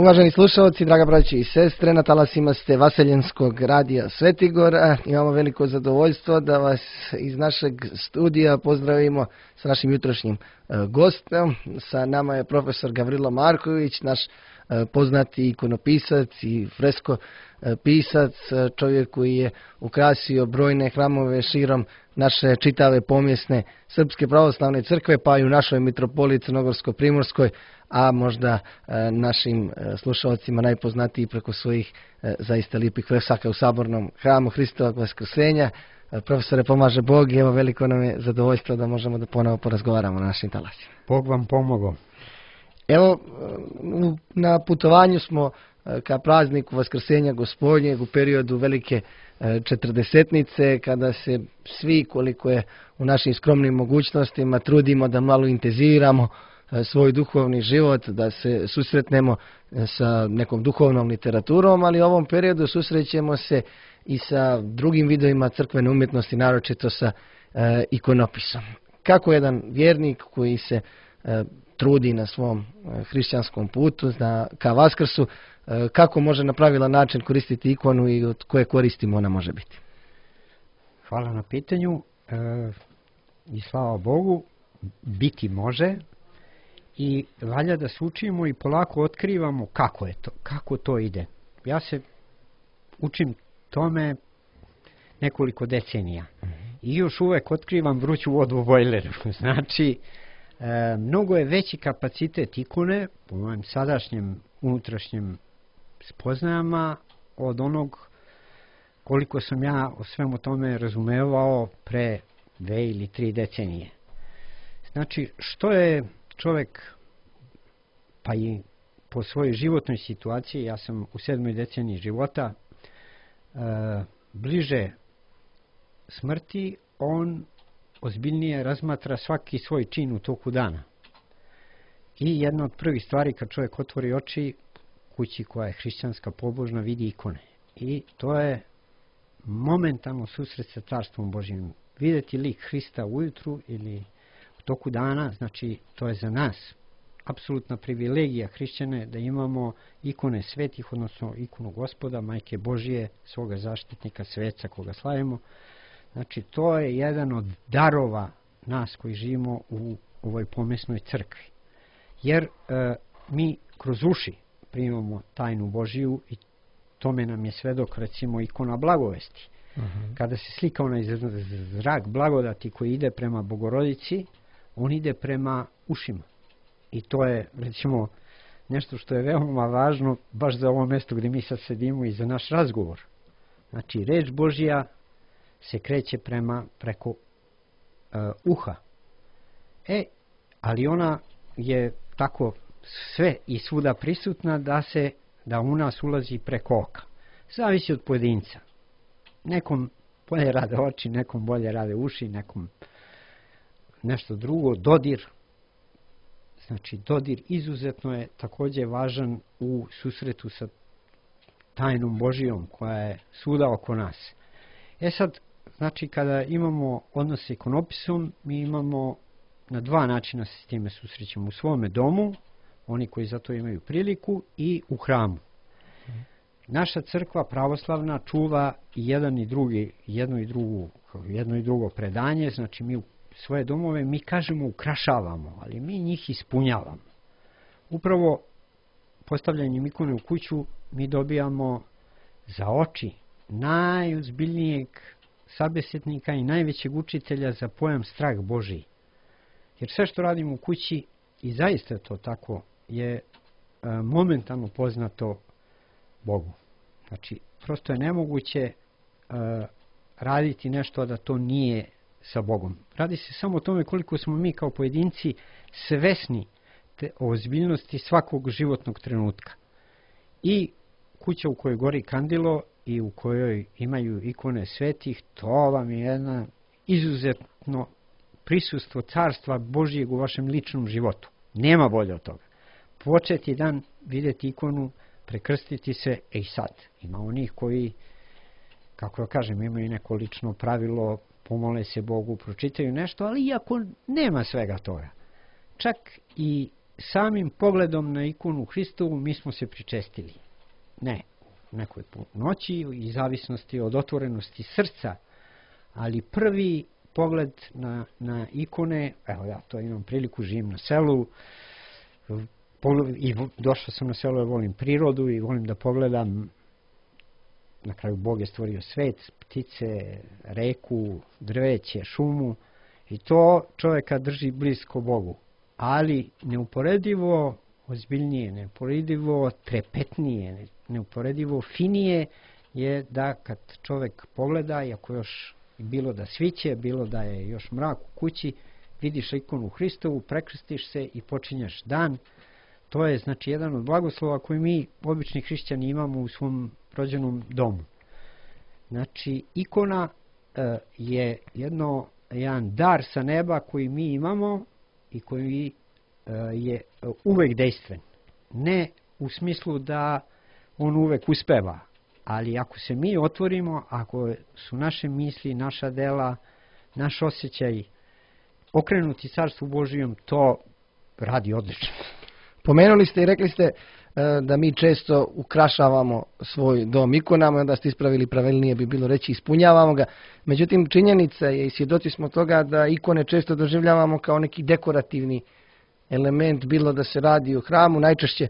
Uvaženi slušalci, draga braći i sestre, na talasima ste Vaseljenskog radija Svetigor. Imamo veliko zadovoljstvo da vas iz našeg studija pozdravimo sa našim jutrošnjim gostom. Sa nama je profesor Gavrilo Marković, naš poznati ikonopisac i fresko pisac, čovjek koji je ukrasio brojne hramove širom naše čitave pomjesne Srpske pravoslavne crkve, pa i u našoj mitropoliji Crnogorsko-primorskoj, a možda našim slušalcima najpoznatiji preko svojih zaista lijepih fresaka u sabornom hramu Hristovog Vaskrsenja. Profesore, pomaže Bog i evo veliko nam je zadovoljstvo da možemo da ponovo porazgovaramo na našim talasima. Bog vam pomogao. Evo, na putovanju smo ka prazniku Vaskrsenja Gospodnjeg u periodu velike četrdesetnice, kada se svi, koliko je u našim skromnim mogućnostima, trudimo da malo intenziviramo svoj duhovni život, da se susretnemo sa nekom duhovnom literaturom, ali u ovom periodu susrećemo se i sa drugim vidovima crkvene umjetnosti, naročito sa ikonopisom. Kako jedan vjernik koji se trudi na svom hrišćanskom putu ka Vaskrsu, kako može na pravilan način koristiti ikonu i od koje koristimo ona može biti? Hvala na pitanju i slava Bogu, biti može i valja da se učimo i polako otkrivamo kako je to, kako to ide. Ja se učim tome nekoliko decenija i još uvek otkrivam vruću vodu u bojleru. Znači, mnogo je veći kapacitet ikone po mojem sadašnjem unutrašnjem spoznajama od onog koliko sam ja o svemu tome razumevao pre 2 ili 3 decenije. Znači, što je čovjek, pa i po svojoj životnoj situaciji, ja sam u 7. deceniji života, bliže smrti, on ozbiljnije razmatra svaki svoj čin u toku dana. I jedna od prvih stvari kad čovjek otvori oči, kući koja je hrišćanska, pobožna, vidi ikone. I to je momentalno susret sa Carstvom Božjim. Vidjeti lik Hrista ujutru ili u toku dana, znači to je za nas apsolutna privilegija hrišćane da imamo ikone svetih, odnosno ikonu Gospoda, Majke Božije, svoga zaštitnika, sveca koga slavimo. Znači to je jedan od darova nas koji živimo u ovoj pomjesnoj crkvi. Jer mi kroz uši primamo tajnu Božiju i tome nam je svedok recimo ikona blagovesti. Kada se slika onaj zrak blagodati koji ide prema Bogorodici, on ide prema ušima. I to je recimo nešto što je veoma važno baš za ovo mjesto gdje mi sad sedimo i za naš razgovor. Znači reč Božja se kreće preko uha. Ali ona je tako sve i svuda prisutna da u nas ulazi preko oka. Zavisi od pojedinca. Nekom bolje rade oči, nekom bolje rade uši, nekom nešto drugo, dodir. Znači dodir izuzetno je također važan u susretu sa tajnom Božijom koja je svuda oko nas. Sad, znači kada imamo odnos s ikonopisom, mi imamo na 2 načina se s time susrećemo. U svome domu, oni koji za to imaju priliku, i u hramu. Naša crkva pravoslavna čuva jedno i drugo predanje, znači mi u svoje domove, mi kažemo ukrašavamo, ali mi njih ispunjavamo. Upravo postavljanjem ikone u kuću mi dobijamo za oči najozbiljnijeg sabesjetnika i najvećeg učitelja za pojam strah Božiji. Jer sve što radimo u kući, i zaista je to tako, je momentalno poznato Bogu. Znači, prosto je nemoguće raditi nešto da to nije sa Bogom. Radi se samo o tome koliko smo mi kao pojedinci svesni o ozbiljnosti svakog životnog trenutka. I kuća u kojoj gori kandilo i u kojoj imaju ikone svetih, to vam je jedna izuzetno prisustvo Carstva Božijeg u vašem ličnom životu. Nema bolje od toga. Početi dan vidjeti ikonu, prekrstiti se, i sad. Ima onih koji, kako da kažem, imaju neko lično pravilo, pomole se Bogu, pročitaju nešto, ali iako nema svega toga. Čak i samim pogledom na ikonu Hristovu mi smo se pričestili. Ne u nekoj noći i zavisnosti od otvorenosti srca, ali prvi pogled na ikone, evo ja to imam priliku, živim na selu i došao sam na selo jer volim prirodu i volim da pogledam, na kraju Bog je stvorio svet, ptice, reku, drveće, šumu i to čovjeka drži blisko Bogu, ali neuporedivo ozbiljnije, neuporedivo trepetnije, neuporedivo finije je da kad čovjek pogleda, iako još bilo da sviće, bilo da je još mrak u kući, vidiš ikonu Hristovu, prekrstiš se i počinješ dan. To je znači jedan od blagoslova koji mi obični hrišćani imamo u svom rođenom domu. Znači ikona je jedan dar sa neba koji mi imamo i koji je uvek dejstven. Ne u smislu da on uvek uspeva, ali ako se mi otvorimo, ako su naše misli, naša dela, naš osjećaj okrenuti Carstvu Božijem, to radi odlično. Pomenuli ste i rekli ste da mi često ukrašavamo svoj dom ikonama, onda ste ispravili, pravilnije bi bilo reći ispunjavamo ga. Međutim, činjenica je i svjedoci smo toga da ikone često doživljavamo kao neki dekorativni element, bilo da se radi o hramu, najčešće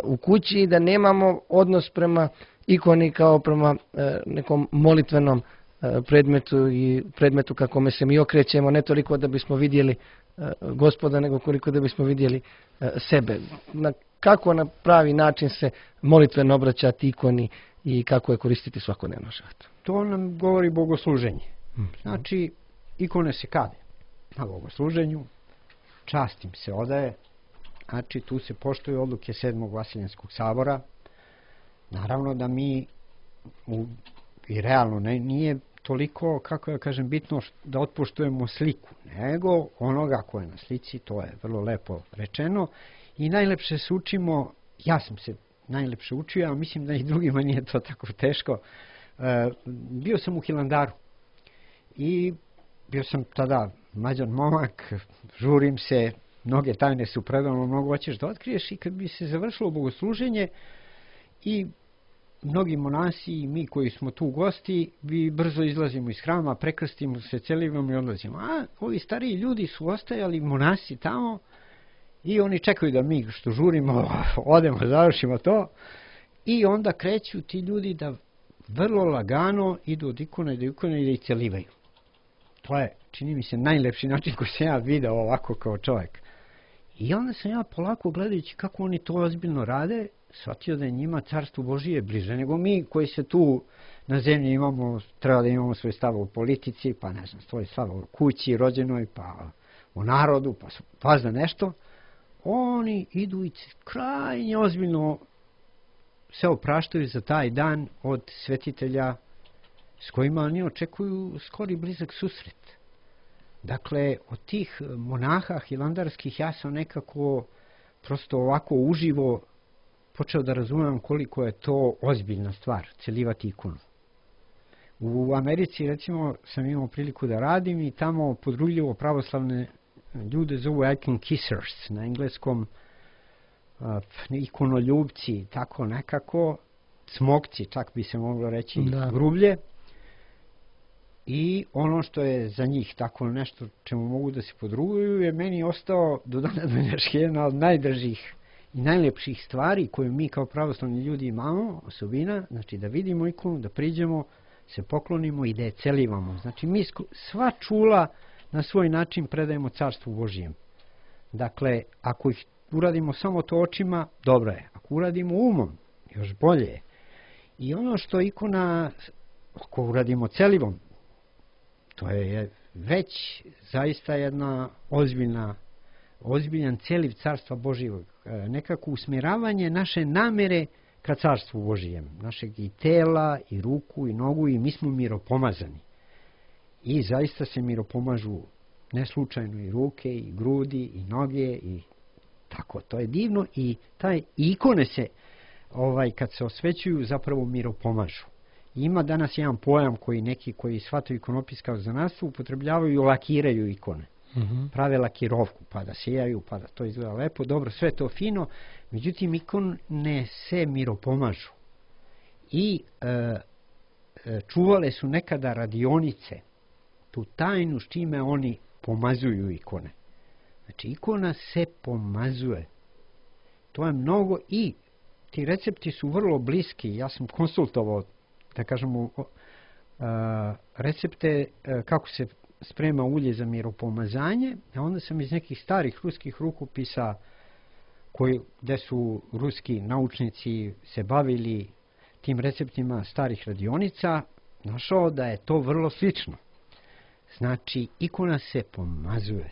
u kući, i da nemamo odnos prema ikoni kao prema nekom molitvenom predmetu i predmetu kakome se mi okrećemo, ne toliko da bismo vidjeli Gospoda, nego koliko da bismo vidjeli sebe. Kako na pravi način se molitveno obraćati ikoni i kako je koristiti svakodnevno životu? To nam govori bogosluženje. Znači, ikone se kade na bogosluženju, čast im se odaje, znači tu se poštuju odluke 7. Vaseljenskog sabora. Naravno da mi i realno nije toliko, kako ja kažem, bitno da otpoštujemo sliku, nego onoga ko je na slici, to je vrlo lepo rečeno, i najlepše se učimo, ja sam se najlepše učio, a mislim da i drugima nije to tako teško. Bio sam u Hilandaru i bio sam tada mlađan momak, žurim se, mnoge tajne su predano, mnogo hoćeš da otkriješ, i kad bi se završilo bogosluženje i mnogi monasi i mi koji smo tu gosti, vi brzo izlazimo iz hrama, prekrstimo se, celimo i odlazimo. A ovi stariji ljudi su ostajali, monasi tamo, i oni čekaju da mi što žurimo odemo, završimo to, i onda kreću ti ljudi da vrlo lagano idu od ikone do ikone i da ih celivaju. To je, čini mi se, najlepši način koji sam ja video ovako kao čovjek. I onda sam ja polako, gledajući kako oni to ozbiljno rade, shvatio da je njima Carstvo Božije bliže nego mi koji se tu na zemlji imamo, treba da imamo svoj stav u politici, pa ne znam, svoj stav u kući, rođenoj, pa u narodu, pa za nešto. Oni idu i krajnje ozbiljno se opraštaju za taj dan od svetitelja s kojima oni očekuju skori blizak susret. Dakle, od tih monaha hilandarskih ja sam nekako prosto ovako uživo počeo da razumem koliko je to ozbiljna stvar, celivati ikonu. U Americi, recimo, sam imao priliku da radim i tamo podrugljivo pravoslavne ljude zovu icon kissers, na engleskom ikonoljubci, tako nekako, smokci, čak bi se moglo reći, grublje. I ono što je za njih tako nešto čemu mogu da se podruguju je meni ostao do dana današnjeg jedna od najdražih i najlepših stvari koje mi kao pravoslavni ljudi imamo, osobina, znači da vidimo ikonu, da priđemo, se poklonimo i da je celivamo. Znači mi sva čula na svoj način predajemo Carstvu Božijem. Dakle, ako ih uradimo samo to očima, dobro je. Ako uradimo umom, još bolje je. I ono što ikona, ako uradimo celivom, to je već zaista jedna ozbiljan celiv Carstva Božijeg. Nekako usmjeravanje naše namere ka Carstvu Božijem. Našeg i tela, i ruku, i nogu, i mi smo miropomazani. I zaista se miropomažu ne slučajno i ruke, i grudi, i noge, i tako. To je divno i taj ikone se, kad se osvećuju, zapravo miropomažu. Ima danas jedan pojam koji neki koji shvataju ikonopis kao zanatstvo upotrebljavaju i lakiraju ikone. prave lakirovku, pa da sijaju, pa da to izgleda lepo, dobro, sve to fino, međutim ikone se miropomažu. I čuvale su nekada radionice, tu tajnu s čime oni pomazuju ikone. Znači, ikona se pomazuje. To je mnogo i ti recepti su vrlo bliski. Ja sam konsultovao, da kažemo, recepte kako se sprema ulje za miropomazanje, a onda sam iz nekih starih ruskih rukopisa gdje su ruski naučnici se bavili tim receptima starih radionica, našao da je to vrlo slično. Znači, ikona se pomazuje,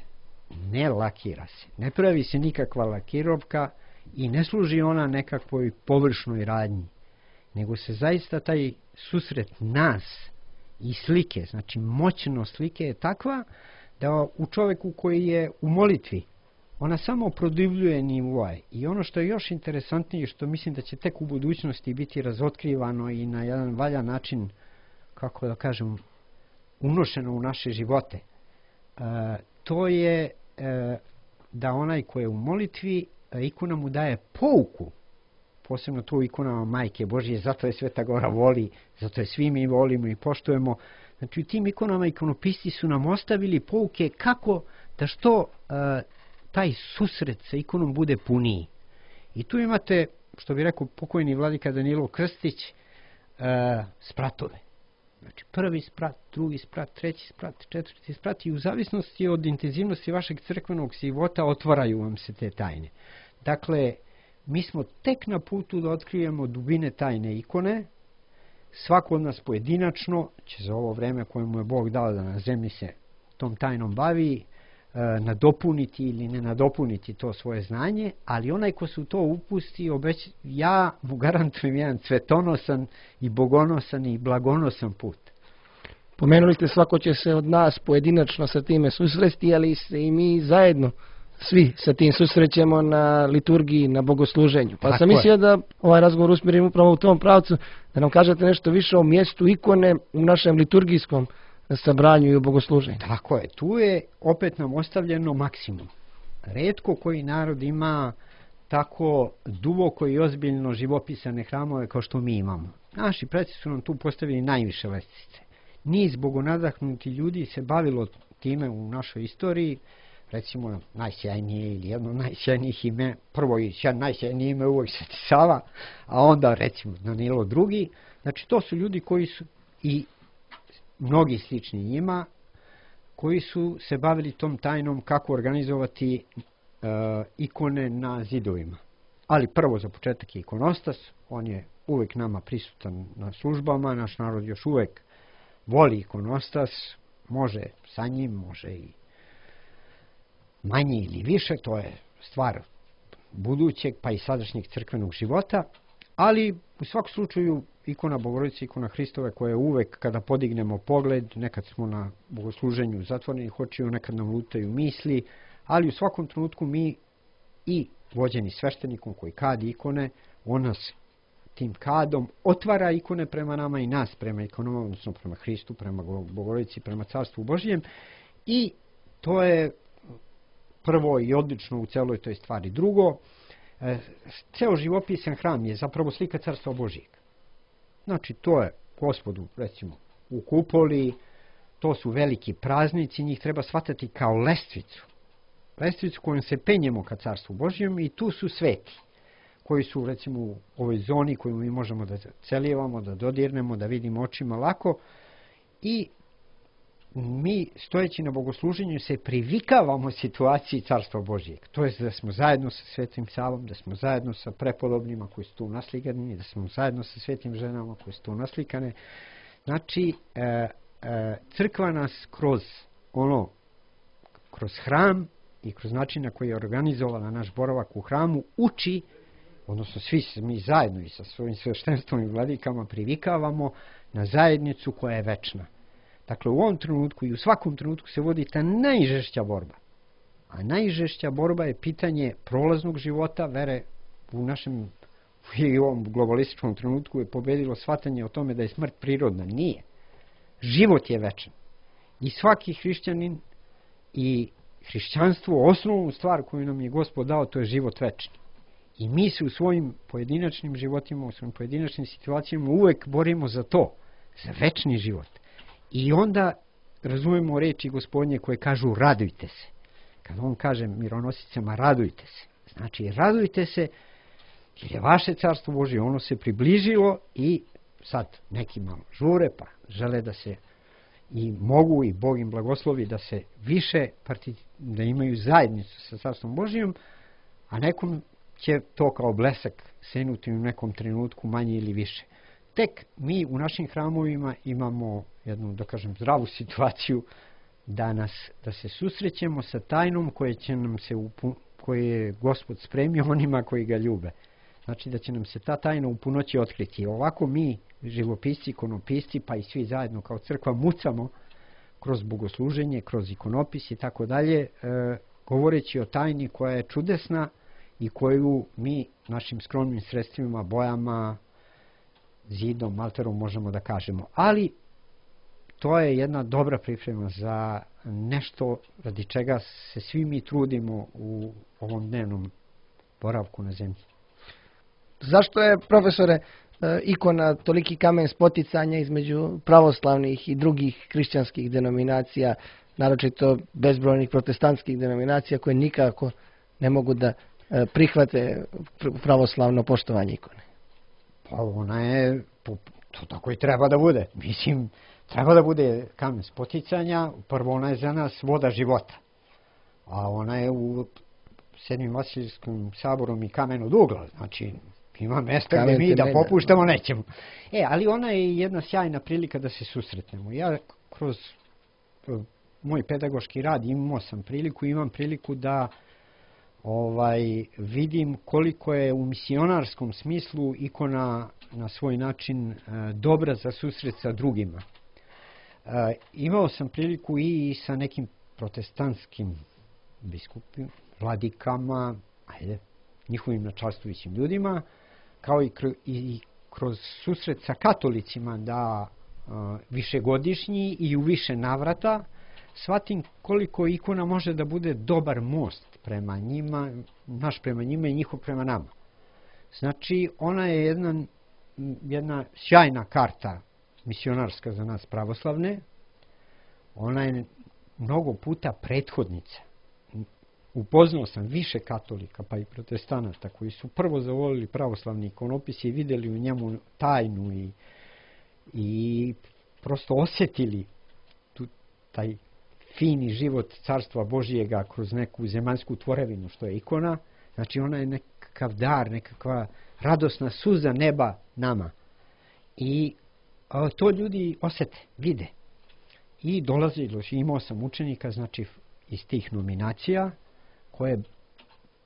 ne lakira se, ne pravi se nikakva lakirovka i ne služi ona nekakvoj površnoj radnji, nego se zaista taj susret nas i slike, znači moćnost slike je takva da u čovjeku koji je u molitvi, ona samo produbljuje nivoaj. I ono što je još interesantnije, što mislim da će tek u budućnosti biti razotkrivano i na jedan valjan način, kako da kažem, unošeno u naše živote, to je da onaj ko je u molitvi, ikona mu daje pouku, posebno tu ikonama Majke Božije, zato je Sveta Gora voli, zato je svi mi volimo i poštujemo. Znači u tim ikonama ikonopisci su nam ostavili pouke kako da što taj susret sa ikonom bude puniji. I tu imate, što bi rekao pokojni vladika Danilo Krstić, spratove. Znači prvi sprat, drugi sprat, treći sprat, četvrti sprat i u zavisnosti od intenzivnosti vašeg crkvenog života otvaraju vam se te tajne. Dakle, mi smo tek na putu da otkrijemo dubine tajne ikone. Svako od nas pojedinačno će za ovo vreme koje mu je Bog dao da na zemlji se tom tajnom bavi, nadopuniti ili ne nadopuniti to svoje znanje, ali onaj ko se u to upusti, ja mu garantujem jedan cvetonosan i bogonosan i blagonosan put. Pomenuli ste, svako će se od nas pojedinačno sa time susresti, ali se i mi zajedno svi sa tim susrećemo na liturgiji, na bogosluženju. Pa sam mislio da ovaj razgovor usmjerim upravo u tom pravcu, da nam kažete nešto više o mjestu ikone u našem liturgijskom sabranju i u bogosluženju. Tako je, tu je opet nam ostavljeno maksimum. Retko koji narod ima tako duboko i ozbiljno živopisane hramove kao što mi imamo. Naši preci su nam tu postavili najviše lestvice. Niz bogonadahnuti ljudi se bavilo time u našoj istoriji, recimo najsjajnije ili jedno najsjajnijih ime, prvo i najsjajnije ime uvijek Sveti Sava, a onda recimo Danilo II. Znači to su ljudi koji su i mnogi slični njima, koji su se bavili tom tajnom kako organizovati ikone na zidovima. Ali prvo za početak je ikonostas, on je uvijek nama prisutan na službama, naš narod još uvijek voli ikonostas, može sa njim, može i manje ili više, to je stvar budućeg pa i sadašnjeg crkvenog života, ali u svakom slučaju ikona Bogorodice, ikona Hristove, koja je uvek kada podignemo pogled, nekad smo na bogosluženju zatvorenih očiju, nekad nam lutaju misli, ali u svakom trenutku mi i vođeni sveštenikom koji kadi ikone, on nas tim kadom otvara ikone prema nama i nas prema ikonama, odnosno prema Hristu, prema Bogorodici, prema Carstvu Božjem, i to je prvo i odlično u celoj toj stvari. Drugo, ceo živopisan hram je zapravo slika Carstva Božjeg. Znači, to je Gospodu, recimo, u kupoli, to su veliki praznici, njih treba shvatati kao lestvicu. Lestvicu kojom se penjemo ka Carstvu Božjem i tu su sveti, koji su, recimo, u ovoj zoni koju mi možemo da celijevamo, da dodirnemo, da vidimo očima lako, i mi stojeći na bogosluženju se privikavamo situaciji Carstva Božjeg. To je da smo zajedno sa Svetim Savom, da smo zajedno sa prepodobnima koji su tu naslikani, da smo zajedno sa svetim ženama koji su tu naslikane. Znači, crkva nas kroz hram i kroz način na koji je organizovala naš boravak u hramu uči, odnosno svi mi zajedno i sa svojim sveštenstvom i vladikama privikavamo na zajednicu koja je večna. Dakle, u ovom trenutku i u svakom trenutku se vodi ta najžešća borba. A najžešća borba je pitanje prolaznog života, vere u našem i u ovom globalističkom trenutku je pobedilo shvatanje o tome da je smrt prirodna. Nije. Život je večan. I svaki hrišćanin i hrišćanstvo, osnovnu stvar koju nam je Gospod dao, to je život večni. I mi se u svojim pojedinačnim životima, u svojim pojedinačnim situacijama uvek borimo za to, za večni život. I onda razumemo reči Gospodnje koje kažu radujte se. Kad on kaže mironosicama radujte se, znači radujte se jer je vaše carstvo Božje, ono se približilo i sad neki malo žure pa žele da se i mogu i Bog im blagoslovi da se više da imaju zajednicu sa carstvom Božjim, a nekom će to kao blesak senuti u nekom trenutku manje ili više. Tek mi u našim hramovima imamo jednu, da kažem, zdravu situaciju da se susrećemo sa tajnom koje je Gospod spremio onima koji ga ljube. Znači da će nam se ta tajna u punoći otkriti. Ovako mi, živopisci, ikonopisci, pa i svi zajedno kao crkva mucamo kroz bogosluženje, kroz ikonopis i tako dalje, govoreći o tajni koja je čudesna i koju mi našim skromnim sredstvima, bojama, zidom, malterom možemo da kažemo. Ali to je jedna dobra priprema za nešto radi čega se svi mi trudimo u ovom dnevnom boravku na zemlji. Zašto je, profesore, ikona toliki kamen spoticanja između pravoslavnih i drugih hrišćanskih denominacija, naročito bezbrojnih protestantskih denominacija koje nikako ne mogu da prihvate pravoslavno poštovanje ikone? Pa ona je, to tako i treba da bude. Mislim, treba da bude kamen spoticanja, prvo ona je za nas voda života. A ona je u Sedmim Vasilijskim saborom i kamen od ugla, znači ima mesta gdje mi da popuštamo nećemo. Ali ona je jedna sjajna prilika da se susretnemo. Ja kroz moj pedagoški rad imam priliku da vidim koliko je u misionarskom smislu ikona na svoj način dobra za susret sa drugima. Imao sam priliku i sa nekim protestantskim biskupima, vladikama, njihovim načalstvujućim ljudima, kao i kroz susret sa katolicima da višegodišnji i u više navrata shvatim koliko ikona može da bude dobar most prema njima, naš prema njima i njihov prema nama. Znači, ona je jedna sjajna karta misionarska za nas pravoslavne. Ona je mnogo puta prethodnica. Upoznao sam više katolika pa i protestanata koji su prvo zavolili pravoslavni ikonopis i vidjeli u njemu tajnu i prosto osjetili taj fini život carstva Božijega kroz neku zemaljsku tvorevinu što je ikona. Znači ona je nekakav dar, nekakva radosna suza neba nama. I to ljudi osjete, vide. I imao sam učenika, znači iz tih nominacija, koje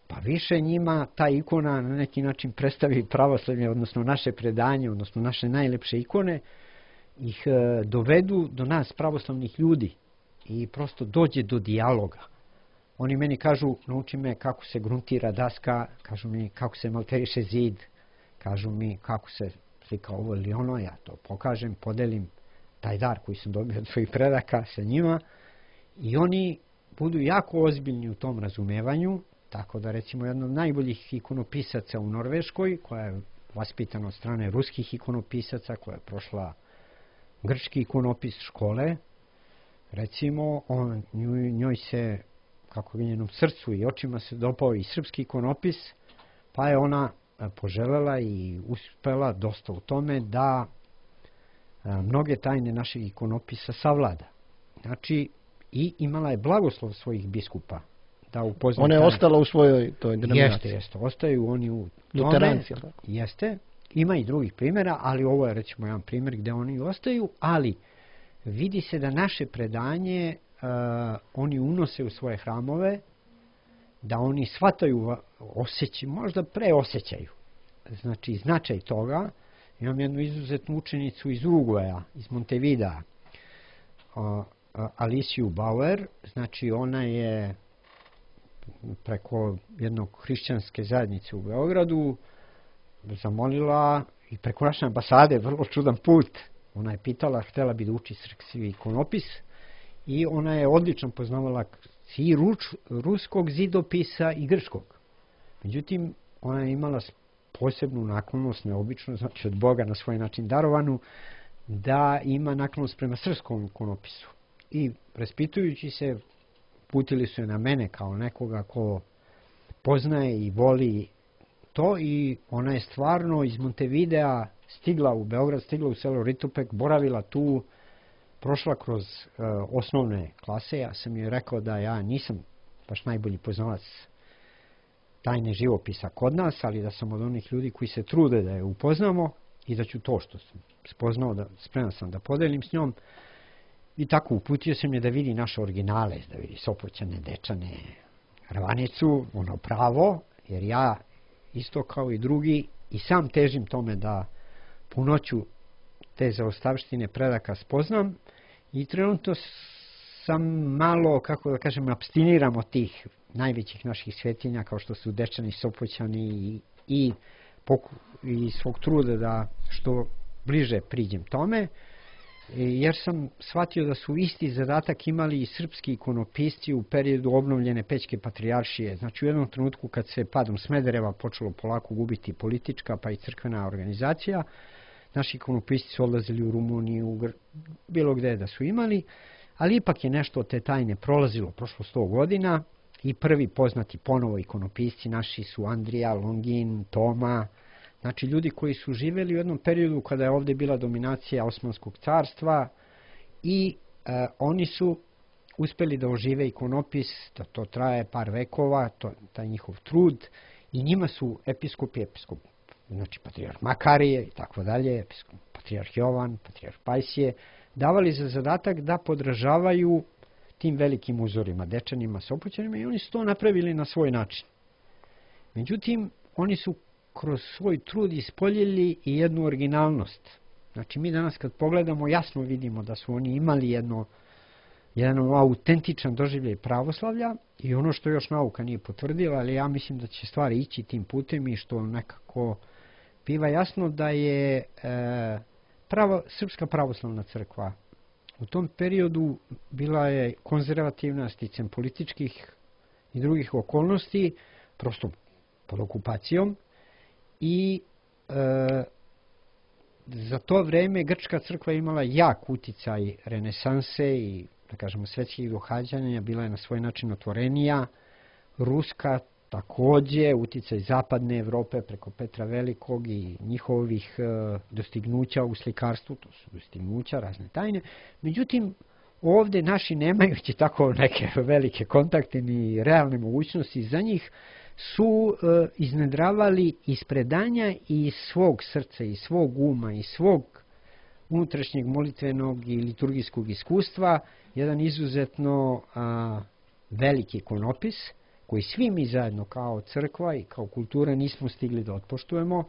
pa više njima ta ikona na neki način predstavi pravoslavlje, odnosno naše predanje, odnosno naše najlepše ikone, ih dovedu do nas pravoslavnih ljudi i prosto dođe do dijaloga. Oni meni kažu, nauči me kako se gruntira daska, kažu mi kako se malteriše zid, kažu mi kako se slika ovo ili ono, ja to pokažem, podelim taj dar koji sam dobio od svojih predaka sa njima i oni budu jako ozbiljni u tom razumevanju, tako da recimo jedan od najboljih ikonopisaca u Norveškoj, koja je vaspitana od strane ruskih ikonopisaca, koja je prošla grčki ikonopis škole, recimo njoj se, kako je njenom srcu i očima se dopao i srpski ikonopis, pa je ona poželjela i uspela dosta u tome da mnoge tajne našeg ikonopisa savlada. Znači, i imala je blagoslov svojih biskupa da upozna. Ona je ostala u svojoj toj denominaciji. Jeste, ostaju oni u tome. Luteranci. Jeste, ima i drugih primjera, ali ovo je recimo jedan primjer gdje oni ostaju, ali vidi se da naše predanje oni unose u svoje hramove, da oni shvataju, možda preosjećaju. Znači, značaj toga. Imam jednu izuzetnu učenicu iz Uruguaja, iz Montevidea, Aliciju Bauer, znači ona je preko jednog hrišćanske zajednice u Beogradu zamolila i preko naše ambasade, vrlo čudan put, ona je pitala, htjela bi da uči srpski ikonopis i ona je odlično poznavala i ruskog zidopisa i grčkog. Međutim, ona je imala posebnu naklonost, neobično, znači od Boga na svoj način darovanu, da ima naklonost prema srpskom ikonopisu. I raspitujući se, putili su je na mene kao nekoga ko poznaje i voli to, i ona je stvarno iz Montevidea stigla u Beograd, stigla u selo Ritopek, boravila tu, prošla kroz osnovne klase. Ja sam joj rekao da ja nisam baš najbolji poznavac tajne živopisa kod nas, ali da sam od onih ljudi koji se trude da je upoznamo i da ću to što sam spoznao, spreman sam da podelim s njom. I tako uputio sam je da vidi naše originale, da vidi Sopoćane, Dečane, Ravanicu, ono pravo, jer ja isto kao i drugi i sam težim tome da punoću te zaostavštine predaka spoznam, i trenutno sam malo, kako da kažem, apstiniram od tih najvećih naših svetinja kao što su Dečani, Sopoćani, i svog truda da što bliže priđem tome, jer sam shvatio da su isti zadatak imali i srpski ikonopisci u periodu obnovljene Pećke patrijaršije. Znači u jednom trenutku kad se padom Smedereva počelo polako gubiti politička pa i crkvena organizacija, naši ikonopisci su odlazili u Rumuniju, bilo gde da su imali, ali ipak je nešto od te tajne prolazilo, prošlo 100 godina, i prvi poznati ponovo ikonopisci naši su Andrija, Longin, Toma, znači ljudi koji su živjeli u jednom periodu kada je ovdje bila dominacija Osmanskog carstva, i oni su uspjeli da ožive ikonopis, da to traje par vekova, taj njihov trud, i njima su episkop, znači patrijarh Makarije i tako dalje, patrijarh Jovan, patrijarh Pajsije, davali za zadatak da podražavaju tim velikim uzorima, Dečanima, Sopoćanima, i oni su to napravili na svoj način. Međutim, oni su kroz svoj trud ispoljili i jednu originalnost. Znači mi danas kad pogledamo jasno vidimo da su oni imali jedan autentičan doživljaj pravoslavlja, i ono što još nauka nije potvrdila, ali ja mislim da će stvari ići tim putem, i što nekako biva jasno da je Srpska pravoslavna crkva u tom periodu bila je konzervativna sticem političkih i drugih okolnosti, prosto pod okupacijom, i za to vreme grčka crkva imala jak uticaj renesanse i, da kažemo, svetskih događanja, bila je na svoj način otvorenija. Ruska takođe, uticaj zapadne Evrope preko Petra Velikog i njihovih dostignuća u slikarstvu, to su dostignuća, razne tajne. Međutim, ovde naši nemajući tako neke velike kontakte ni realne mogućnosti za njih, su iznedravali iz predanja i iz svog srca, iz svog uma, iz svog unutrašnjeg molitvenog i liturgijskog iskustva jedan izuzetno veliki ikonopis, koji svi mi zajedno kao crkva i kao kultura nismo stigli da otpoštujemo,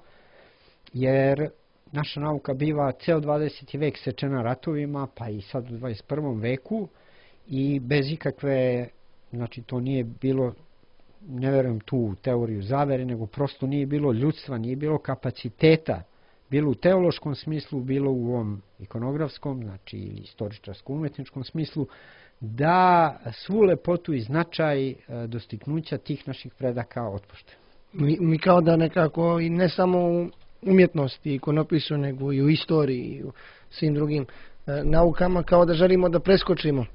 jer naša nauka biva ceo 20. vek sečena ratovima, pa i sad u 21. veku, i bez ikakve, znači to nije bilo, ne verujem tu u teoriju zavere, nego prosto nije bilo ljudstva, nije bilo kapaciteta, bilo u teološkom smislu, bilo u ovom ikonografskom, znači ili istoričarsko-umetničkom smislu, da svu lepotu i značaj dostignuća tih naših predaka otpoštujemo. Mi kao da nekako, i ne samo u umjetnosti, ikonopisu, nego i u istoriji i u svim drugim naukama, kao da želimo da preskočimo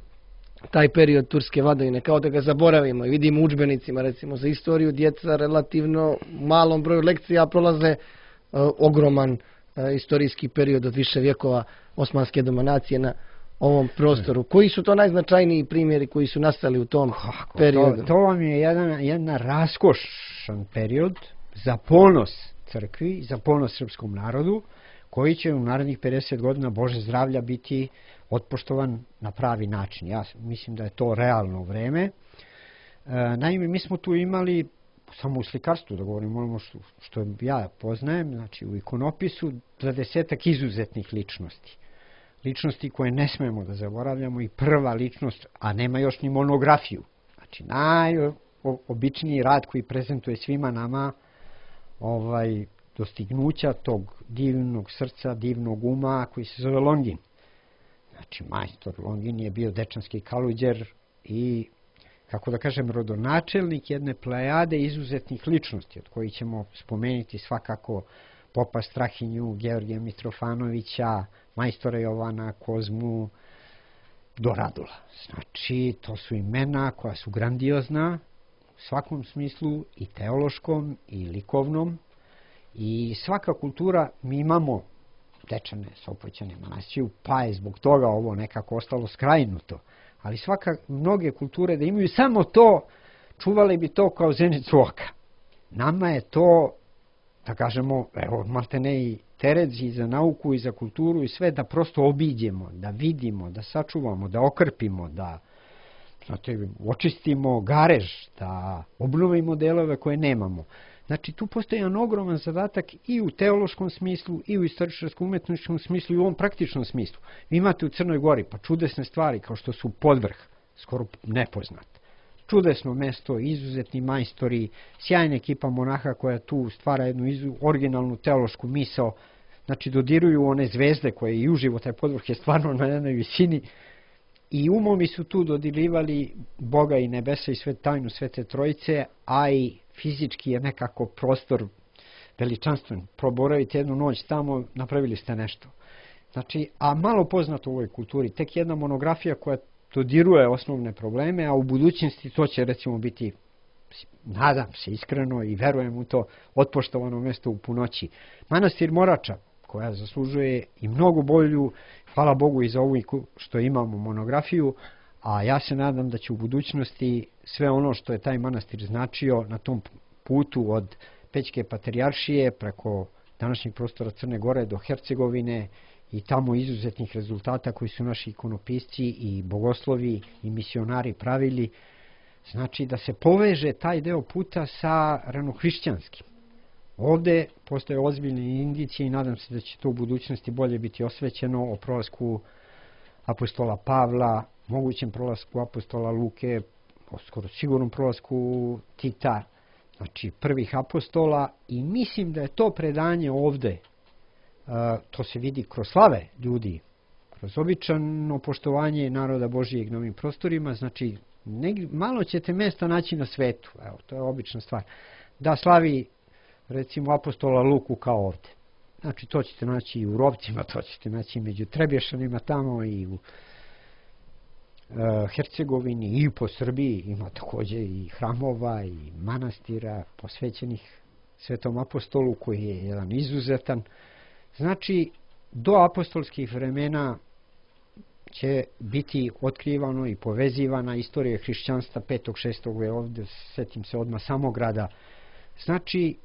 taj period turske vladavine, kao da ga zaboravimo, i vidimo u udžbenicima, recimo za istoriju, djeca relativno malom broju lekcija prolaze ogroman istorijski period od više vjekova osmanske dominacije na ovom prostoru. Koji su to najznačajniji primjeri koji su nastali u tom periodu? To vam je jedna raskošan period za ponos crkvi, za ponos srpskom narodu, koji će u narednih 50 godina, Bože zdravlja, biti otpoštovan na pravi način. Ja mislim da je to realno vreme. Naime, mi smo tu imali, samo u slikarstvu, da govorim ono što ja poznajem, znači u ikonopisu, 20 izuzetnih ličnosti. Ličnosti koje ne smemo da zaboravljamo, i prva ličnost, a nema još ni monografiju. Znači najobičniji rad koji prezentuje svima nama dostignuća tog divnog srca, divnog uma, koji se zove Longin. Znači majstor Longin je bio dečanski kaluđer, i kako da kažem, rodonačelnik jedne plejade izuzetnih ličnosti, od kojih ćemo spomenuti svakako popa Strahinju, Georgija Mitrofanovića, majstora Jovana, Kozmu, do Radula. Znači, to su imena koja su grandiozna u svakom smislu, i teološkom, i likovnom, i svaka kultura, mi imamo Dečane, Sopoćane, Manasiju, pa je zbog toga ovo nekako ostalo skrajnuto. Ali mnoge kulture da imaju samo to, čuvali bi to kao zenicu oka. Nama je to, da kažemo, evo, maltene i teret i za nauku i za kulturu i sve, da prosto obiđemo, da vidimo, da sačuvamo, da okrpimo, da očistimo garež, da obnovimo delove koje nemamo. Znači, tu postoji jedan ogroman zadatak i u teološkom smislu, i u istoričarsko-umetničkom smislu, i u ovom praktičnom smislu. Vi imate u Crnoj Gori pa čudesne stvari kao što su Podvrh, skoro nepoznat. Čudesno mesto, izuzetni majstori, sjajna ekipa monaha koja tu stvara jednu originalnu teološku misao. Znači, dodiruju one zvezde koje i uživo, taj Podvrh je stvarno na jednoj visini. I umovi su tu dodirivali Boga i nebesa i tajnu Svete Trojice, a i fizički je nekako prostor veličanstven. Proboravite jednu noć tamo, napravili ste nešto. Znači, a malo poznato u ovoj kulturi, tek jedna monografija koja dodiruje osnovne probleme, a u budućnosti to će recimo biti, nadam se iskreno i verujem u to, otpoštovano mesto u punoći. Manastir Morača, koja zaslužuje i mnogo bolju, hvala Bogu i za ovu što imamo monografiju, a ja se nadam da će u budućnosti sve ono što je taj manastir značio na tom putu od Pećke patrijaršije preko današnjeg prostora Crne Gore do Hercegovine i tamo izuzetnih rezultata koji su naši ikonopisci i bogoslovi i misionari pravili, znači da se poveže taj deo puta sa ranohrišćanskim. Ovde postoje ozbiljne indicije i nadam se da će to u budućnosti bolje biti osvećeno o prolasku apostola Pavla, mogućem prolasku apostola Luke, skoro sigurnom prolasku Tita, znači prvih apostola, i mislim da je to predanje ovde, to se vidi kroz slave ljudi, kroz običano poštovanje naroda Božijeg na ovim prostorima, znači malo ćete mesta naći na svetu, evo, to je obična stvar, da slavi recimo apostola Luku kao ovde. Znači, to ćete naći i u Rovcima, to ćete naći među Trebješanima tamo i u Hercegovini i po Srbiji. Ima takođe i hramova i manastira posvećenih Svetom apostolu koji je jedan izuzetan. Znači, do apostolskih vremena će biti otkrivano i povezivana istorija hrišćanstva 5. 6. je ovde, setim se odmah Samograda. Znači,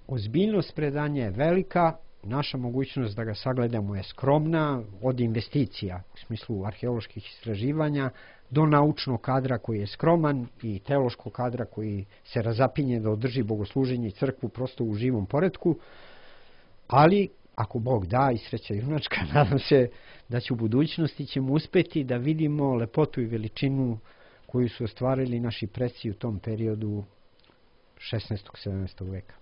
ozbiljnost predanja je velika, naša mogućnost da ga sagledamo je skromna, od investicija u smislu arheoloških istraživanja do naučnog kadra koji je skroman i teološkog kadra koji se razapinje da održi bogosluženje i crkvu prosto u živom poretku, ali ako Bog da i sreća junačka, nadam se da će u budućnosti ćemo uspeti da vidimo lepotu i veličinu koju su ostvarili naši preci u tom periodu 16. 17. veka.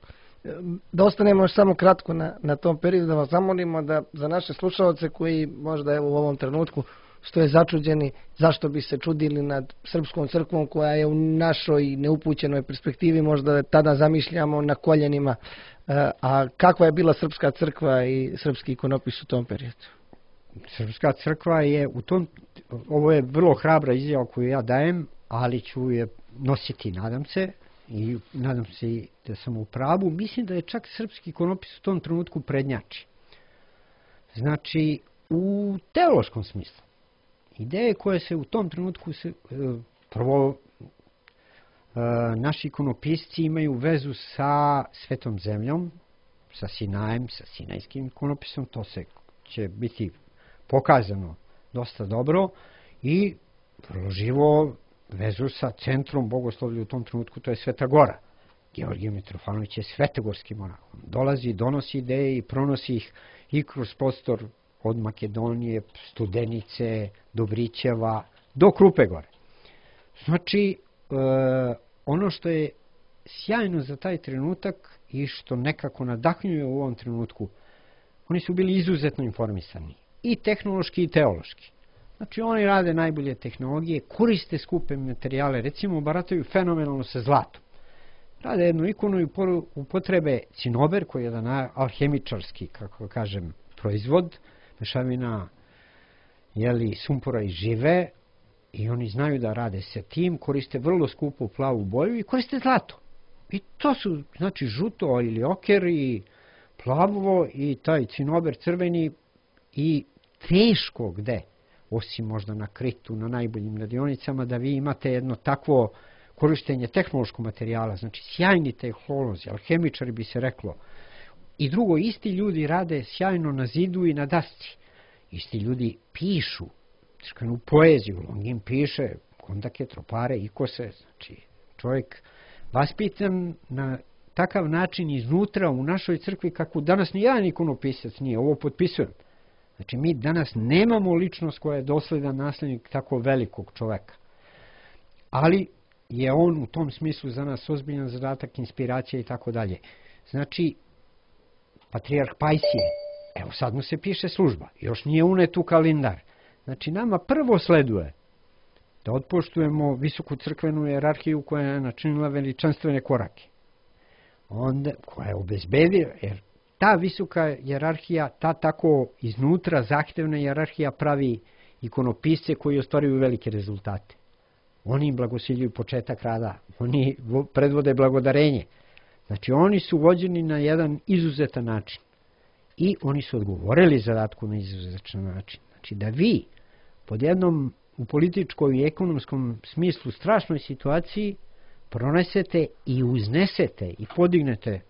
Da ostanemo još samo kratko na tom periodu, da vas zamolimo da za naše slušalce koji možda evo u ovom trenutku stoje začuđeni zašto bi se čudili nad srpskom crkvom koja je u našoj neupućenoj perspektivi, možda tada zamišljamo na koljenima, a kakva je bila srpska crkva i srpski ikonopis u tom periodu? Srpska crkva je u tom, ovo je vrlo hrabra izjava koju ja dajem, ali ću je nositi, nadam se, i nadam se i da sam u pravu. Mislim da je čak srpski ikonopis u tom trenutku prednjači. Znači, u teološkom smislu. Ideje koje se u tom trenutku, prvo, naši ikonopisci imaju vezu sa Svetom zemljom, sa Sinajem, sa Sinajskim ikonopisom, to će biti pokazano dosta dobro, i vrlo živo vezu sa centrom bogoslovlja u tom trenutku, to je Sveta Gora. Georgije Mitrofanović je svetogorski monah. On dolazi, donosi ideje i pronosi ih i kroz prostor od Makedonije, Studenice, Dobrićeva, do Krupe Gore. Znači, ono što je sjajno za taj trenutak i što nekako nadahnjuje u ovom trenutku, oni su bili izuzetno informisani, i tehnološki i teološki. Znači oni rade najbolje tehnologije, koriste skupe materijale, recimo barataju fenomenalno sa zlatom. Rade jednu ikonu i upotrebe cinober, koji je jedan alhemičarski, kako kažem, proizvod, mešavina sumpora i žive, i oni znaju da rade sa tim, koriste vrlo skupu plavu boju i koriste zlato. I to su, znači, žuto ili oker i plavo i taj cinober crveni i teško gde, osim možda na Kritu, na najboljim radionicama, da vi imate jedno takvo korištenje tehnološkog materijala, znači sjajni tehnolozi, alhemičari bi se reklo. I drugo, isti ljudi rade sjajno na zidu i na dasci. Isti ljudi pišu crkvenu poeziju, Longin piše kondake, tropare, ikose, znači čovjek vaspitan na takav način iznutra u našoj crkvi kako danas ni jedan ikonopisac nije, ovo potpisujem. Znači mi danas nemamo ličnost koja je dosledan naslednik tako velikog čoveka. Ali je on u tom smislu za nas ozbiljan zadatak, inspiracija i tako dalje. Znači, patrijarh Pajsije, evo sad mu se piše služba, još nije unet u kalendar. Znači nama prvo sleduje da otpoštujemo visoku crkvenu jerarhiju koja je načinila veličanstvene korake. Onda, koja je obezbedila, jer ta visoka jerarhija, ta tako iznutra zahtevna jerarhija pravi ikonopisce koji ostvaruju velike rezultate. Oni im blagosiljuju početak rada, oni predvode blagodarenje. Znači oni su vođeni na jedan izuzetan način i oni su odgovorili zadatku na izuzetan način. Znači da vi pod jednom u političkoj i ekonomskom smislu strašnoj situaciji pronesete i uznesete i podignete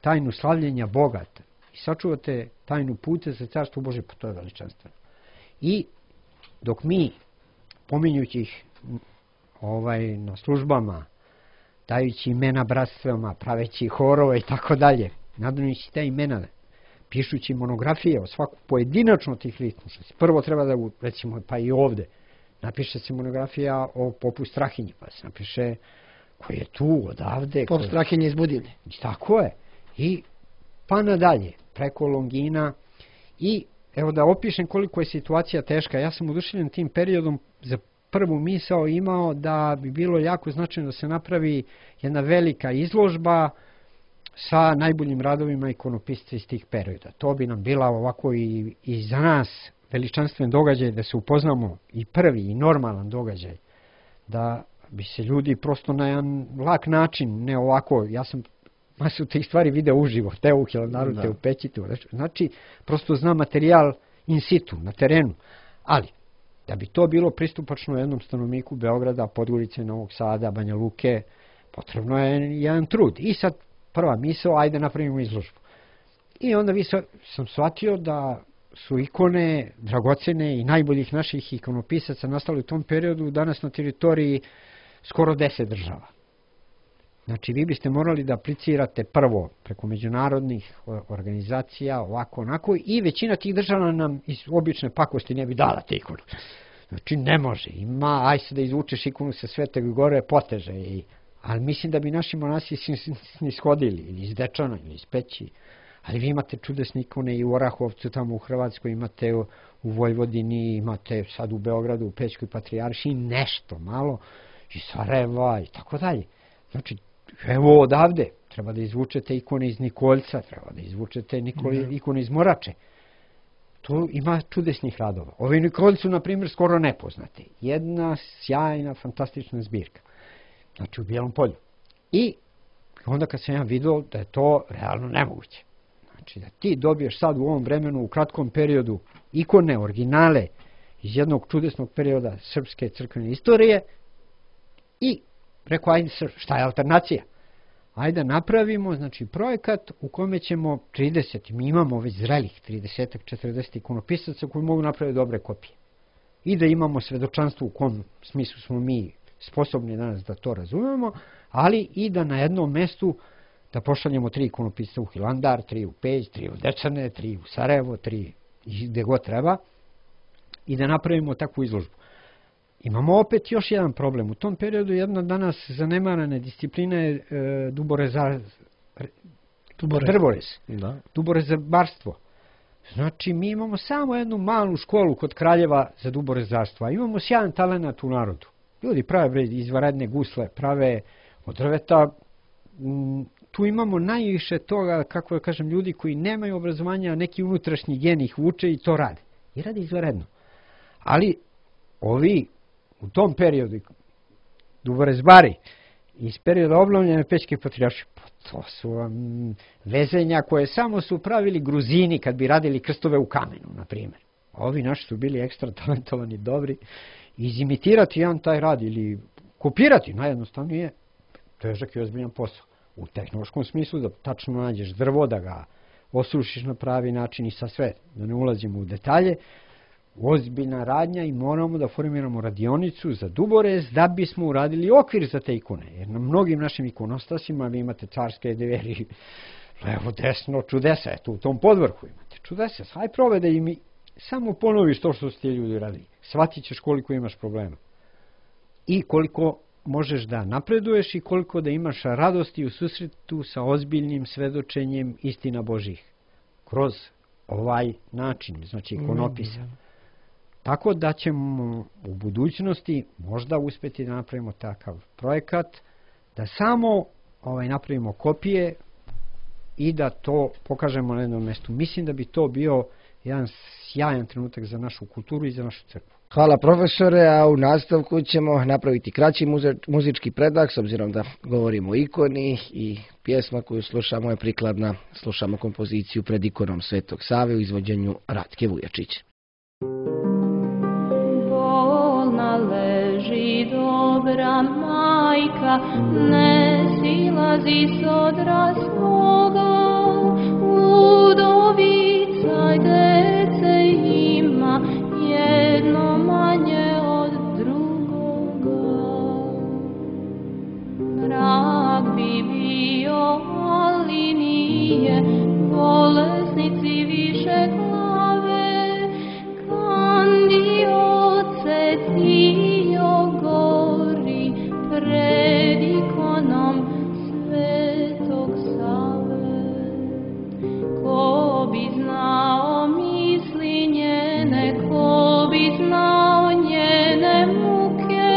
tajnu slavljenja Boga i sačuvate tajnu puta za carstvo Bože, pa to je veličanstveno. I dok mi, pominjući ih na službama, dajući imena bratstvama, praveći horove i tako dalje, nadajući te imena, pišući monografije o svaku pojedinačno tih ličnosti. Prvo treba da, recimo, pa i ovde, napiše se monografija o popu Strahinji, pa se napiše koji je tu, odavde. Pop Strahinje iz Budivlje. Tako je. I pa nadalje, preko Longina. I evo da opišem koliko je situacija teška. Ja sam oduševljen tim periodom, za prvu misao imao da bi bilo jako značajno da se napravi jedna velika izložba sa najboljim radovima ikonopisca iz tih perioda. To bi nam bila ovako i za nas veličanstven događaj, da se upoznamo, i prvi i normalan događaj, da bi se ljudi prosto na jedan lak način, ne ovako, ja sam masu tih stvari video uživo, te u Hilandaru, te u Pećitu, znači prosto znam materijal in situ, na terenu, ali da bi to bilo pristupačno jednom stanovniku Beograda, Podgorice, Novog Sada, Banja Luke, potrebno je jedan trud. I sad prva misao, ajde napravimo izložbu. I onda sam shvatio da su ikone dragocene i najboljih naših ikonopisaca nastali u tom periodu danas na teritoriji skoro 10 država. Znači vi biste morali da aplicirate prvo preko međunarodnih organizacija, ovako, onako, i većina tih država nam iz obične pakosti ne bi dala te ikonu. Znači ne može, aj se da izvučeš ikonu sa Svetog Gore, poteže. Ali mislim da bi naši monasi snishodili, ili iz Dečana, ili iz Peći. Ali vi imate čudesne ikone i u Orahovcu, tamo u Hrvatskoj, imate u Vojvodini, imate sad u Beogradu, u Pećkoj patrijaršiji, nešto malo, iz Sarajeva i tako dalje. Znači, evo odavde, treba da izvučete ikone iz Nikoljca, treba da izvučete ikone iz Morače. Tu ima čudesnih radova. Ovi Nikoljcu, na primjer, skoro nepoznate. Jedna sjajna, fantastična zbirka. Znači u Bijelom Polju. I onda kad sam ja vidio da je to realno nemoguće. Znači da ti dobiješ sad u ovom vremenu, u kratkom periodu, ikone, originale iz jednog čudesnog perioda srpske crkvene istorije i rekao, ajde, šta je alternacija? Ajde napravimo, znači, projekat u kome ćemo 30, mi imamo već zrelih 30-40 ikonopisaca koji mogu napraviti dobre kopije. I da imamo svedočanstvo u kom smislu smo mi sposobni danas da to razumemo, ali i da na jednom mestu da pošaljemo 3 ikonopisca u Hilandar, 3 u Peć, 3 u Dečane, 3 u Sarajevo, 3 gde god treba, i da napravimo takvu izložbu. Imamo opet još jedan problem. U tom periodu jedna danas zanemarana disciplina je drvorez, duborezabarstvo. Znači, mi imamo samo jednu malu školu kod Kraljeva za duborezarstvo, a imamo sjajan talenat u narodu. Ljudi prave izvanredne gusle, prave od drveta. Tu imamo najviše toga, kako da kažem, ljudi koji nemaju obrazovanja, neki unutrašnji gen ih vuče i to rade. I rade izvanredno. Ali ovi u tom periodu, duborezbari, iz perioda obnovljene Pećke patrijaršije, to su vezenja koje samo su pravili Gruzini kad bi radili krstove u kamenu, na primjer. Ovi naši su bili ekstra talentovani, dobri. Izimitirati jedan taj rad ili kopirati, najjednostavnije, težak i ozbiljan posao. U tehnološkom smislu da tačno nađeš drvo, da ga osušiš na pravi način i sa sve, da ne ulazimo u detalje, ozbiljna radnja i moramo da formiramo radionicu za duborez da bismo uradili okvir za te ikone. Jer na mnogim našim ikonostasima vi imate carske deveri, levo, desno, čudesa, eto u tom podvrhu imate čudesa. Haj probaj da im samo ponoviš to što su ti ljudi radili. Shvatit ćeš koliko imaš problema. I koliko možeš da napreduješ i koliko da imaš radosti u susretu sa ozbiljnim svedočenjem istina Božih. Kroz ovaj način, znači ikonopisa. Tako da ćemo u budućnosti možda uspjeti da napravimo takav projekat, da samo napravimo kopije i da to pokažemo na jednom mjestu. Mislim da bi to bio jedan sjajan trenutak za našu kulturu i za našu crkvu. Hvala profesore, a u nastavku ćemo napraviti kraći muzički predah, s obzirom da govorimo o ikoni i pjesma koju slušamo je prikladna. Slušamo kompoziciju Pred ikonom Svetog Save u izvođenju Ratke Vujačić. Bolna leži dobra majka, ne silazi s odra svoga, udovica dece ima, jedno manje od drugoga. Rak bi bio, ali nije, bolesnici više glave, kandioce tio gori pred ikonom Svetog Save. Ko bi znao misli njene, ko bi znao njene muke,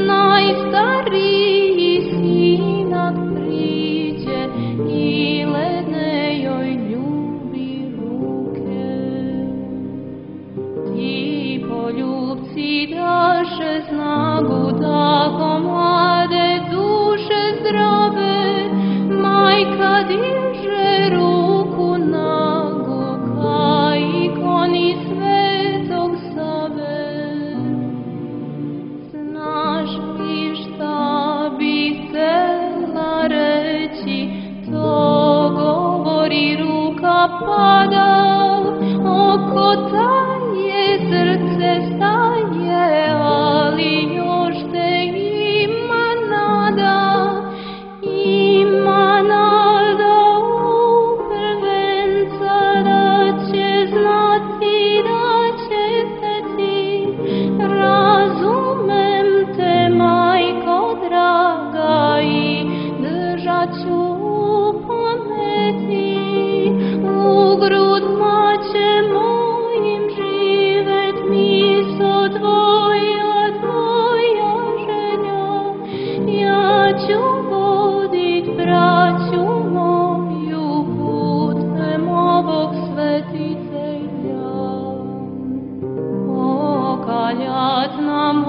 najstariji sinak priđe i ledne joj ljubi ruke. Ti poljubci daše snagu, tako mlade duše zdrave, majka diže ruku nagu ka ikoni Svetog Save. Znaš li šta bi htela reći, to govori ruka pada, oko taje srce staje, ali još te ima nada, ima nada u prvenca da će znati, da će hteti. Razumem te, majko draga, i držat ću u pameti. U grudma će mojim živet miso tvoja, tvoja želja. Ja ću vodit braću moju putem ovog svetitelja. Okaljat nam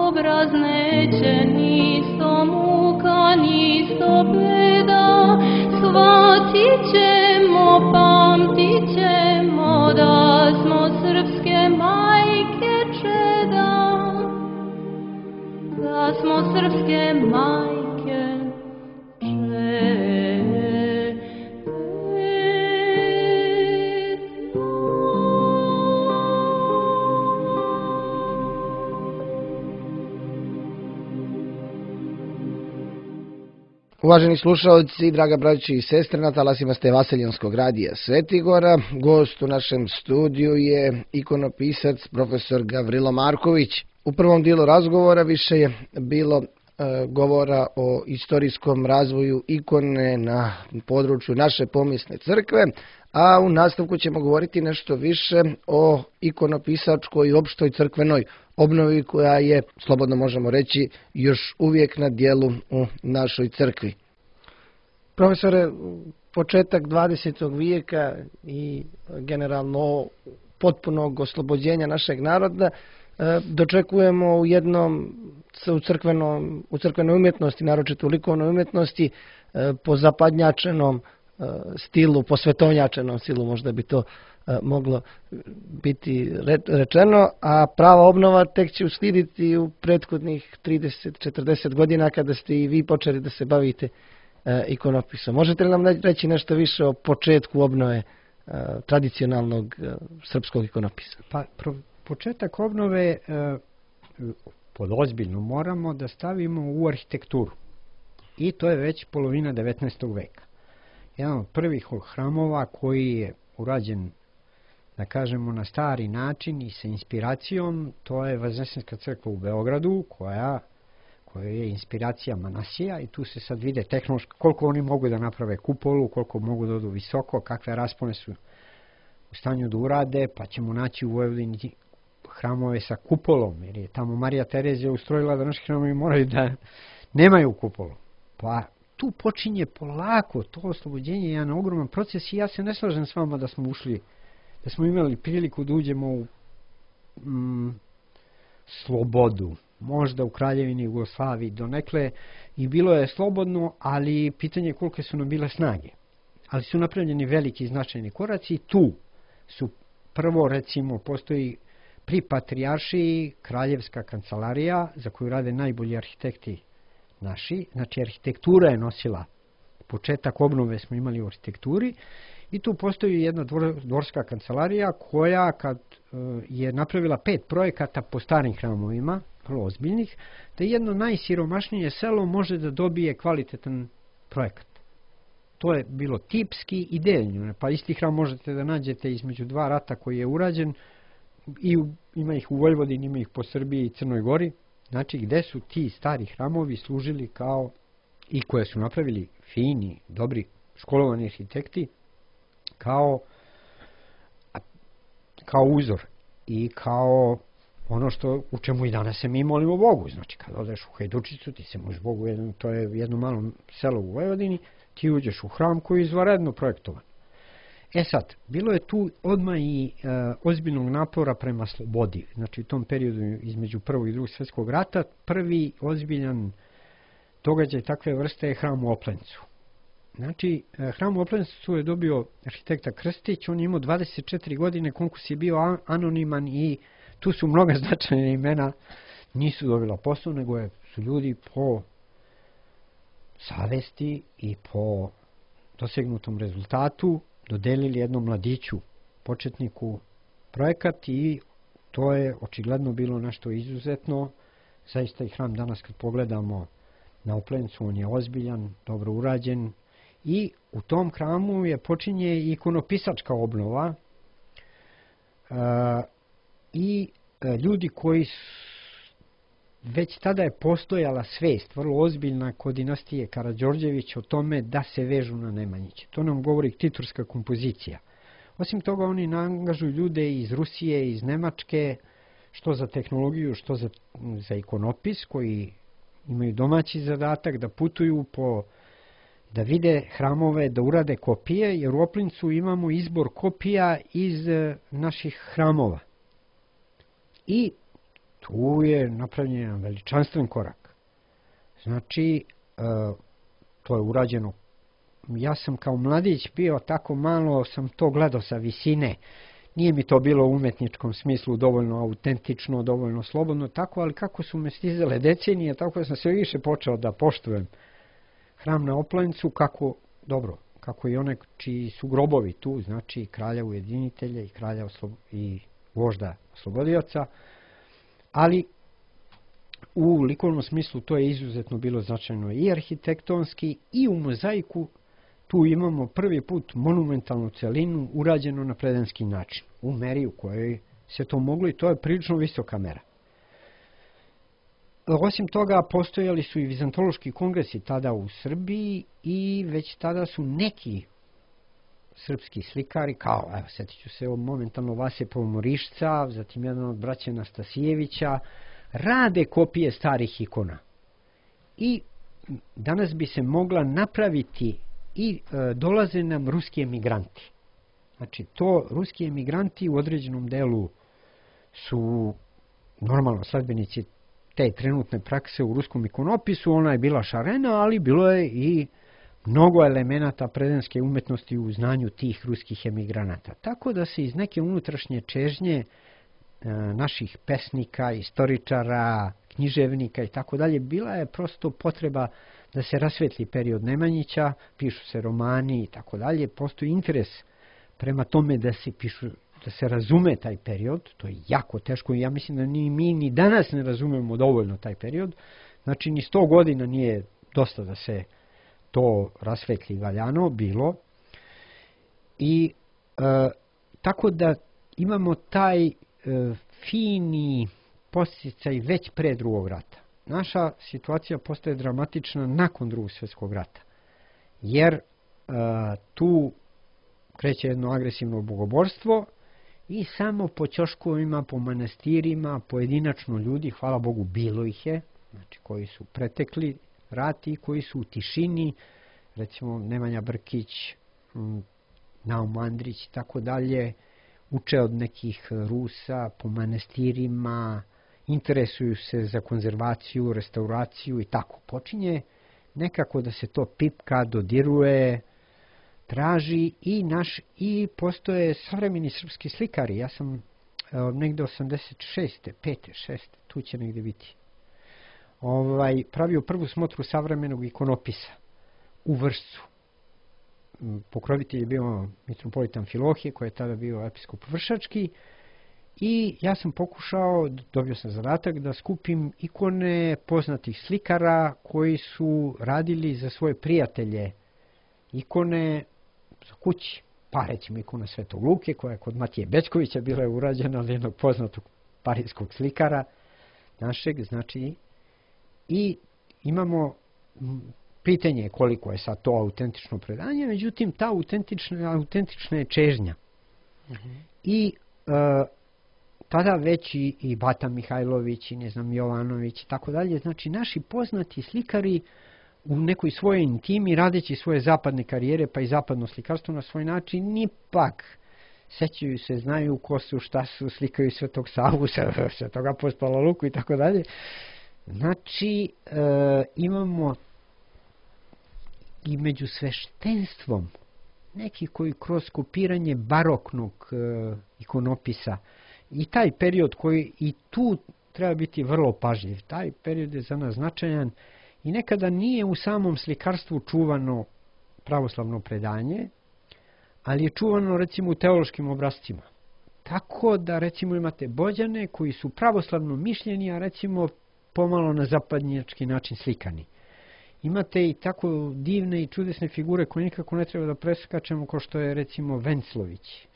obraz neće, nisto muka, nisto beda, shvatit ćemo, pamtit ćemo da smo srpske majke čeda, da smo srpske majke Uvaženi slušalci, draga braći i sestre, na talasima ste Vaseljenskog radija Svetigora. Gost u našem studiju je ikonopisac profesor Gavrilo Marković. U prvom dijelu razgovora više je bilo govora o istorijskom razvoju ikone na području naše pomisne crkve, a u nastavku ćemo govoriti nešto više o ikonopisačkoj i opštoj crkvenoj obnovi koja je, slobodno možemo reći, još uvijek na dijelu u našoj crkvi. Profesore, početak 20. vijeka i generalno potpunog oslobođenja našeg naroda dočekujemo u crkvenoj umjetnosti, naročito u likovnoj umjetnosti, po zapadnjačenom stilu, po svetovnjačenom stilu, možda bi to moglo biti rečeno, a prava obnova tek će uslijediti u prethodnih 30-40 godina kada ste i vi počeli da se bavite ikonopisom. Možete li nam reći nešto više o početku obnove tradicionalnog srpskog ikonopisa? Pa, početak obnove pod ozbiljno moramo da stavimo u arhitekturu. I to je već polovina 19. veka. Jedan od prvih hramova koji je urađen, da kažemo, na stari način i sa inspiracijom, to je Vaznesenska crkva u Beogradu, koja je inspiracija Manasija, i tu se sad vide tehnološki koliko oni mogu da naprave kupolu, koliko mogu da odu visoko, kakve raspone su u stanju da urade, pa ćemo naći u Vojvodini hramove sa kupolom, jer je tamo Marija Terezija ustrojila da naši hramovi moraju da nemaju kupolu. Pa tu počinje polako to oslobođenje, jedan ogroman proces, i ja se ne slažem s vama da smo imali priliku da uđemo u slobodu. Možda u Kraljevini Jugoslaviji donekle i bilo je slobodno, ali pitanje je kolike su nam bile snage. Ali su napravljeni veliki i značajni koraci. Tu su prvo, recimo, postoji pri Patrijaršiji kraljevska kancelarija za koju rade najbolji arhitekti naši. Znači, arhitektura je nosila početak obnove, smo imali u arhitekturi, i tu postoji jedna dvorska kancelarija koja, kad je napravila 5 projekata po starim hramovima, vrlo ozbiljnih, da jedno najsiromašnije selo može da dobije kvalitetan projekat. To je bilo tipski i deljno, pa isti hram možete da nađete između 2 rata koji je urađen, i ima ih u Vojvodini, ima ih po Srbiji i Crnoj Gori, znači gde su ti stari hramovi služili kao, i koje su napravili fini, dobri, školovani arhitekti, kao uzor i kao ono u čemu i danas se mi molimo Bogu. Znači, kad odeš u Hajdučicu, ti se možeš Bogu, to je jedno malo selo u Vojvodini, ti uđeš u hram koji je izvanredno projektovan. Sad, bilo je tu odmah i ozbiljnog napora prema slobodi. Znači, u tom periodu između Prvog i Drugog svjetskog rata, prvi ozbiljan događaj takve vrste je hram u Oplencu. Znači, hram u Oplencu je dobio arhitekta Krstić, on je imao 24 godine, konkurs je bio anoniman i tu su mnoga značajna imena, nisu dobila posao, nego su ljudi po savesti i po dosegnutom rezultatu dodelili jednom mladiću, početniku, projekat, i to je očigledno bilo nešto izuzetno. Zaista i hram danas kad pogledamo na Oplencu, on je ozbiljan, dobro urađen, i u tom hramu je počinje ikonopisačka obnova i ljudi koji već tada je postojala svest, vrlo ozbiljna, kod dinastije Karađorđević o tome da se vežu na Nemanjiće. To nam govori titurska kompozicija. Osim toga, oni angažuju ljude iz Rusije, iz Nemačke, što za tehnologiju, što za ikonopis, koji imaju domaći zadatak da putuju da vide hramove, da urade kopije, jer u Oplincu imamo izbor kopija iz naših hramova. I tu je napravljen jedan veličanstven korak. Znači, to je urađeno. Ja sam kao mladić bio tako malo, sam to gledao sa visine. Nije mi to bilo u umetničkom smislu dovoljno autentično, dovoljno slobodno, tako, ali kako su me stizale decenije, tako da sam sve više počeo da poštujem hram na Oplencu, kako i one čiji su grobovi tu, znači kralja ujedinitelja i kralja i vožda oslobodioca, ali u likovnom smislu to je izuzetno bilo značajno i arhitektonski, i u mozaiku. Tu imamo prvi put monumentalnu celinu urađenu na predenski način, u meri u kojoj se to moglo, i to je prilično visoka mera. Osim toga, postojali su i vizantološki kongresi tada u Srbiji, i već tada su neki srpski slikari, kao, evo, sjetit ću se momentalno Vase Pomorišca, zatim jedan od braća Nastasijevića, rade kopije starih ikona. I danas bi se mogla napraviti i dolaze nam ruski emigranti. Znači, to ruski emigranti u određenom delu su normalno sledbenici te trenutne prakse u ruskom ikonopisu, ona je bila šarena, ali bilo je i mnogo elemenata predenske umetnosti u znanju tih ruskih emigranata. Tako da se iz neke unutrašnje čežnje naših pesnika, istoričara, književnika i tako dalje, bila je prosto potreba da se rasvetli period Nemanjića, pišu se romani i tako dalje, postoji interes prema tome da se pišu, da se razume taj period, to je jako teško i ja mislim da ni mi ni danas ne razumemo dovoljno taj period, znači ni 100 godina nije dosta da se to rasvetli valjano bilo i tako da imamo taj fini posticaj već pre drugog rata. Naša situacija postaje dramatična nakon drugog svjetskog rata, jer tu kreće jedno agresivno bogoborstvo i samo po ćoškovima, po manastirima, pojedinačno ljudi, hvala Bogu bilo ih je, znači koji su pretekli rat i koji su u tišini, recimo Nemanja Brkić, Naum Andrić i tako dalje, uče od nekih Rusa po manastirima, interesuju se za konzervaciju, restauraciju i tako. Počinje nekako da se to pipka, dodiruje, traži i postoje savremeni srpski slikari. Ja sam negde 86. 5. 6. tu će negde biti. Pravio prvu smotru savremenog ikonopisa u Vršcu. Pokrovitelj je bio mitropolita Amfilohije, koji je tada bio episkop vršački, i ja sam pokušao, dobio sam zadatak da skupim ikone poznatih slikara koji su radili za svoje prijatelje ikone za kući. Pa recimo ikona Svetog Luke, koja je kod Matije Bećkovića bila je urađena od jednog poznatog parijskog slikara našeg, znači, i imamo pitanje koliko je sad to autentično predanje, međutim ta autentična je čežnja. I tada već i Bata Mihajlović i ne znam Jovanović i tako dalje, znači naši poznati slikari u nekoj svojoj intimi, radeći svoje zapadne karijere, pa i zapadno slikarstvo na svoj način, ipak sećaju se, znaju ko su, šta su, slikaju Svetog Savu, Svetog apostola Luku i tako dalje. Znači, imamo i među sveštenstvom neki koji kroz kopiranje baroknog ikonopisa i taj period koji i tu treba biti vrlo pažljiv, taj period je za nas značajan i nekada nije u samom slikarstvu čuvano pravoslavno predanje, ali je čuvano recimo u teološkim obrascima. Tako da recimo imate Bođane koji su pravoslavno mišljeni, a recimo pomalo na zapadnjački način slikani. Imate i tako divne i čudesne figure koje nikako ne treba da preskačemo, kao što je recimo Venclović.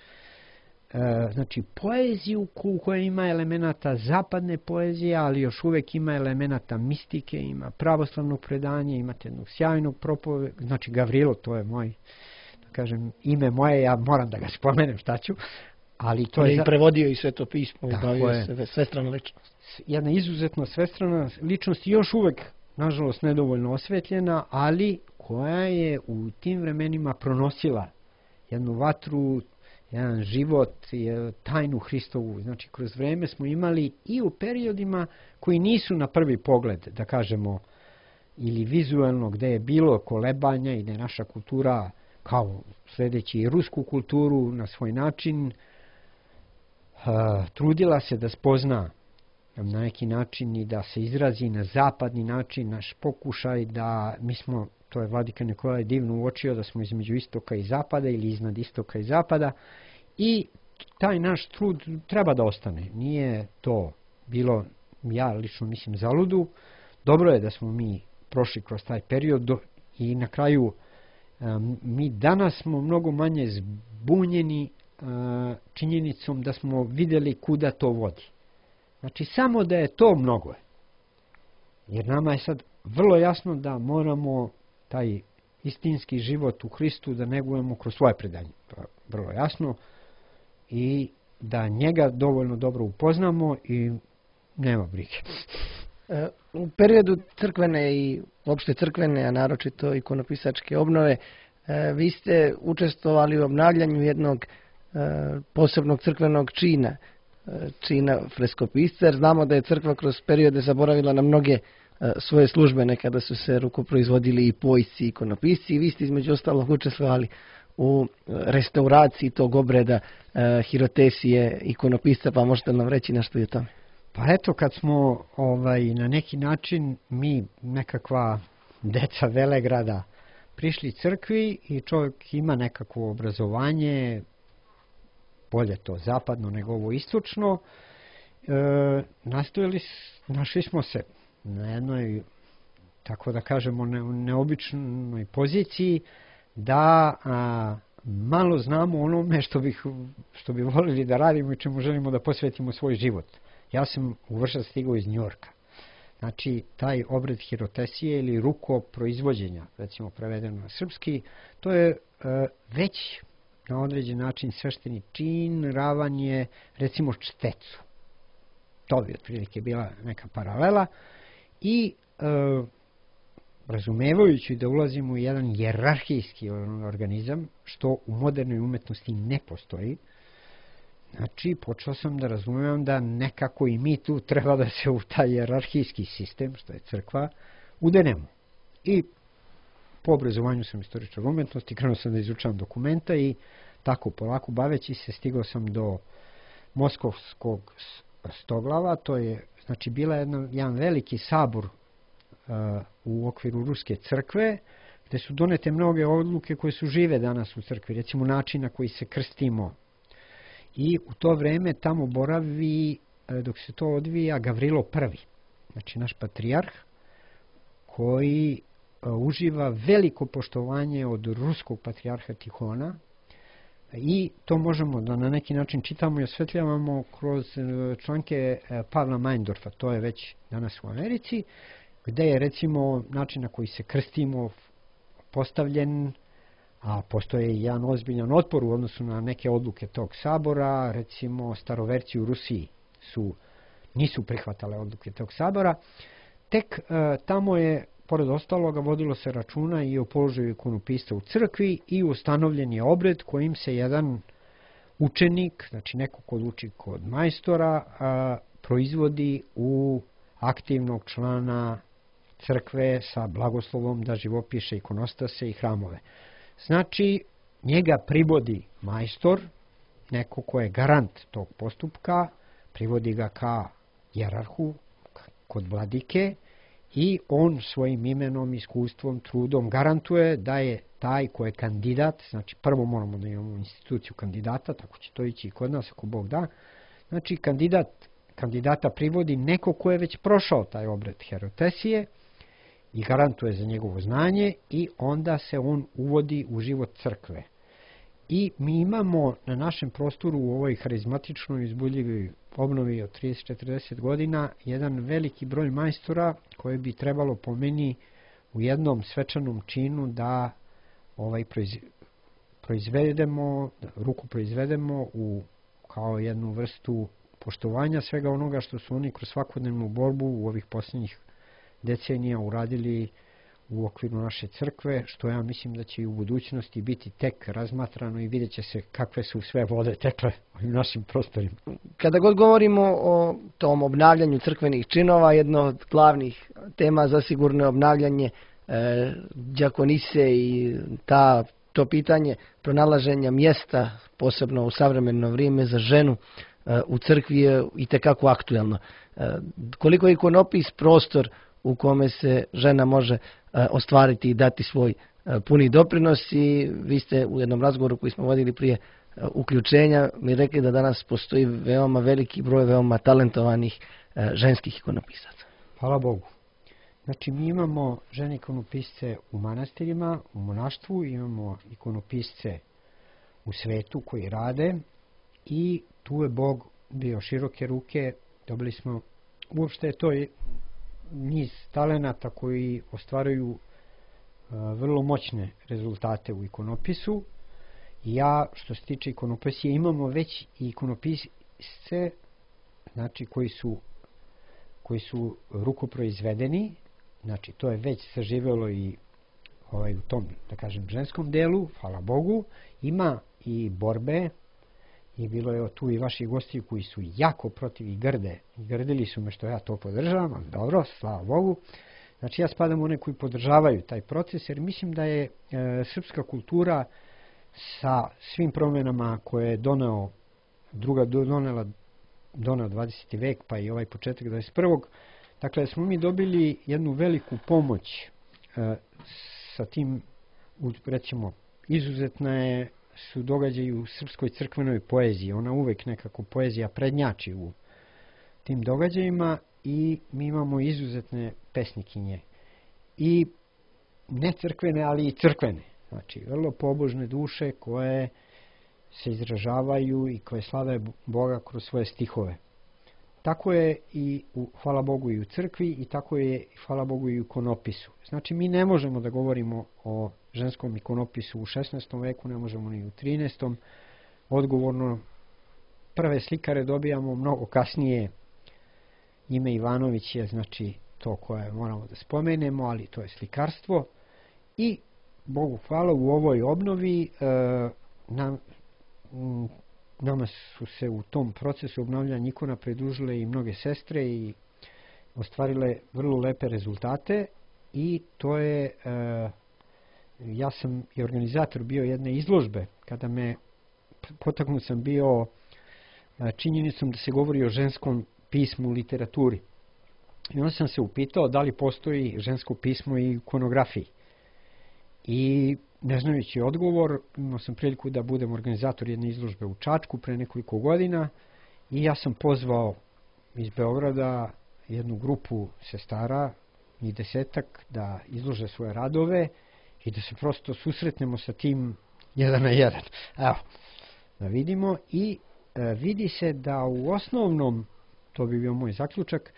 Znači poeziju koja ima elemenata zapadne poezije, ali još uvek ima elemenata mistike, ima pravoslavnog predanja, imate jednog sjajnog znači Gavrilo, to je moj, da kažem, ime moje, ja moram da ga spomenem, šta ću, ali to je... prevodio i Sveto pismo, bavio se svestrana ličnost. Jedna izuzetno svestrana ličnost, još uvek, nažalost, nedovoljno osvetljena, ali koja je u tim vremenima pronosila jednu vatru, jedan život, tajnu Hristovu. Znači, kroz vreme smo imali i u periodima koji nisu na prvi pogled, da kažemo, ili vizualno, gde je bilo kolebanja i da je naša kultura, kao sledeći i rusku kulturu na svoj način, trudila se da spozna na neki način i da se izrazi na zapadni način, naš pokušaj da mi smo, to je Vladika Nikolaj divno uočio, da smo između istoka i zapada ili iznad istoka i zapada, i taj naš trud treba da ostane. Nije to bilo, ja lično mislim, zaludu. Dobro je da smo mi prošli kroz taj period i na kraju mi danas smo mnogo manje zbunjeni činjenicom da smo videli kuda to vodi. Znači, samo da je to mnogo. Jer nama je sad vrlo jasno da moramo taj istinski život u Hristu da negujemo kroz svoje predanje. To je vrlo jasno. I da njega dovoljno dobro upoznamo i nema brige. U periodu crkvene i uopšte crkvene, a naročito ikonopisačke obnove, vi ste učestvovali u obnavljanju jednog posebnog crkvenog čina freskopisca, jer znamo da je crkva kroz periode zaboravila na mnoge svoje službe, nekada su se rukoproizvodili i pojsci, i ikonopisci, i vi ste između ostalog učestvovali u restauraciji tog obreda hirotesije ikonopisca, pa možete nam reći nešto i o tome? Pa eto, kad smo na neki način mi, nekakva deca Velegrada, prišli crkvi i čovjek ima nekakvo obrazovanje, bolje to zapadno nego ovo istočno, našli smo se na jednoj, tako da kažemo, neobičnoj poziciji da malo znamo onome što bi volili da radimo i čemu želimo da posvetimo svoj život. Ja sam u Vršac stigao iz Njujorka. Znači, taj obred hirotesije ili rukoproizvođenja, recimo prevedeno na srpski, to je već na određen način svešteni čin, ravanje, recimo čtecu. To bi otprilike bila neka paralela. I razumevajući da ulazimo u jedan jerarhijski organizam, što u modernoj umetnosti ne postoji, znači počeo sam da razumijem da nekako i mi tu treba da se u taj jerarhijski sistem, što je crkva, udenemo. I po obrazovanju sam istoričar umetnosti, krenuo sam da izučavam dokumenta i tako polako baveći se stigao sam do Moskovskog stoglava. To je znači bila jedan veliki sabor u okviru Ruske crkve, gde su donete mnoge odluke koje su žive danas u crkvi, recimo način na koji se krstimo. I u to vreme tamo boravi, dok se to odvija, Gavrilo I, znači naš patrijarh, koji uživa veliko poštovanje od ruskog patrijarha Tihona, i to možemo da na neki način čitamo i osvetljavamo kroz članke Pavla Meindorfa, to je već danas u Americi, gde je recimo način na koji se krstimo postavljen, a postoje jedan ozbiljan otpor u odnosu na neke odluke tog sabora, recimo staroverci u Rusiji nisu prihvatale odluke tog sabora. Tek tamo je, pored ostaloga, vodilo se računa i o položaju ikonopisca u crkvi i ustanovljen je obred kojim se jedan učenik, znači neko ko uči kod majstora, proizvodi u aktivnog člana crkve sa blagoslovom da živopiše ikonostase i hramove. Znači, njega privodi majstor, neko ko je garant tog postupka, privodi ga ka jerarhu, kod vladike, i on svojim imenom, iskustvom, trudom garantuje da je taj ko je kandidat, znači prvo moramo da imamo instituciju kandidata, tako će to ići i kod nas ako Bog da, znači kandidata privodi neko ko je već prošao taj obred hirotesije i garantuje za njegovo znanje, i onda se on uvodi u život crkve. I mi imamo na našem prostoru u ovoj harizmatičnoj izbuljivoj obnovi od 30-40 godina jedan veliki broj majstora koje bi trebalo po meni u jednom svečanom činu da ruku proizvedemo kao jednu vrstu poštovanja svega onoga što su oni kroz svakodnevnu borbu u ovih posljednjih decenija uradili u okviru naše crkve, što ja mislim da će i u budućnosti biti tek razmatrano i vidjet će se kakve su sve vode tekle u našim prostorima. Kada god govorimo o tom obnavljanju crkvenih činova, jedno od glavnih tema zasigurno je obnavljanje đakonise i to pitanje pronalaženja mjesta, posebno u savremeno vrijeme, za ženu u crkvi je itekako aktuelno. Koliko je ikonopis prostor u kome se žena može ostvariti i dati svoj puni doprinos, i vi ste u jednom razgovoru koji smo vodili prije uključenja mi rekli da danas postoji veoma veliki broj veoma talentovanih ženskih ikonopisaca. Hvala Bogu. Znači, mi imamo žene ikonopisce u manastirima, u monaštvu, imamo ikonopisce u svetu koji rade, i tu je Bog bio široke ruke, dobili smo, uopšte to je niz talenata koji ostvaruju vrlo moćne rezultate u ikonopisu. Ja, što se tiče ikonopisije, imamo već i ikonopisce, znači koji su rukoproizvedeni, znači to je već saživelo i u tom, da kažem, ženskom delu, hvala Bogu. Ima i borbe, i bilo je tu i vaših gostiju koji su jako protiv i grde. I grdili su me što ja to podržavam, ali dobro, slava Bogu. Znači ja spadam u one koji podržavaju taj proces, jer mislim da je srpska kultura sa svim promjenama koje je doneo 20. vek, pa i ovaj početak 21. Dakle, smo mi dobili jednu veliku pomoć sa tim, recimo, izuzetne su događaji u srpskoj crkvenoj poeziji. Ona uvek nekako poezija prednjači u tim događajima i mi imamo izuzetne pesnikinje. I ne crkvene, ali i crkvene. Znači, vrlo pobožne duše koje se izražavaju i koje slave Boga kroz svoje stihove. Tako je i hvala Bogu i u crkvi i tako je hvala Bogu i u ikonopisu. Znači mi ne možemo da govorimo o ženskom ikonopisu u 16. veku, ne možemo ni u 13. Odgovorno prve slikare dobijamo mnogo kasnije. Ime Ivanović je znači to koje moramo da spomenemo, ali to je slikarstvo. I Bogu hvala u ovoj obnovi nama su se u tom procesu obnavljanja ikona pridružile i mnoge sestre i ostvarile vrlo lepe rezultate i to je ja sam i organizator bio jedne izložbe kada me potaknut sam bio činjenicom da se govori o ženskom pismu u literaturi. I onda sam se upitao da li postoji žensko pismo i ikonografiji. I ne znajući odgovor, imao sam priliku da budem organizator jedne izložbe u Čačku pre nekoliko godina i ja sam pozvao iz Beograda jednu grupu sestara, i 10 da izlože svoje radove i da se prosto susretnemo sa tim 1 na 1. Evo, da vidimo i vidi se da u osnovnom, to bi bio moj zaključak,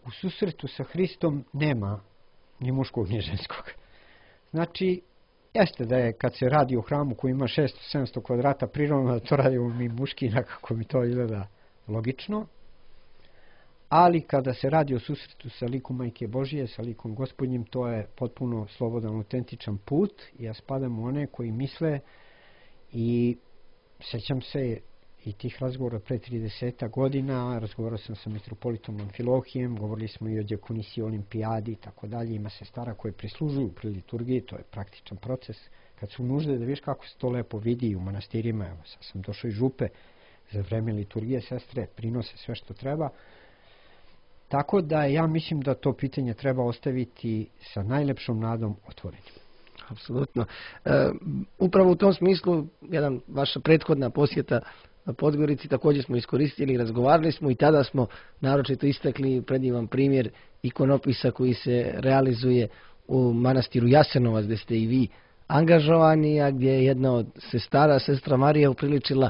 u susretu sa Hristom nema ni muškog ni ženskog. Znači, jeste da je kad se radi o hramu koji ima 600-700 kvadrata prirodno da to radimo mi muški, nekako mi to izgleda logično, ali kada se radi o susretu sa likom Majke Božije, sa likom Gospodnjim, to je potpuno slobodan, autentičan put. Ja spadam u one koji misle i sećam se i tih razgovora pre 30 godina, razgovarao sam sa mitropolitom Amfilohijem, govorili smo i o dijakonisiji, olimpijadi i tako dalje, ima sestara koje prislužuju pri liturgiji, to je praktičan proces. Kad su nužde da viš kako se to lepo vidi u manastirima, evo sad sam došao iz župe, za vreme liturgije sestre prinose sve što treba. Tako da ja mislim da to pitanje treba ostaviti sa najlepšom nadom otvorenim. Apsolutno. Upravo u tom smislu, vaša prethodna posjeta Podgorici također smo iskoristili, razgovarali smo i tada smo naročito istakli predivan primjer ikonopisa koji se realizuje u manastiru Jasenovac, gdje ste i vi angažovani, a gdje je jedna od sestara, sestra Marija, upriličila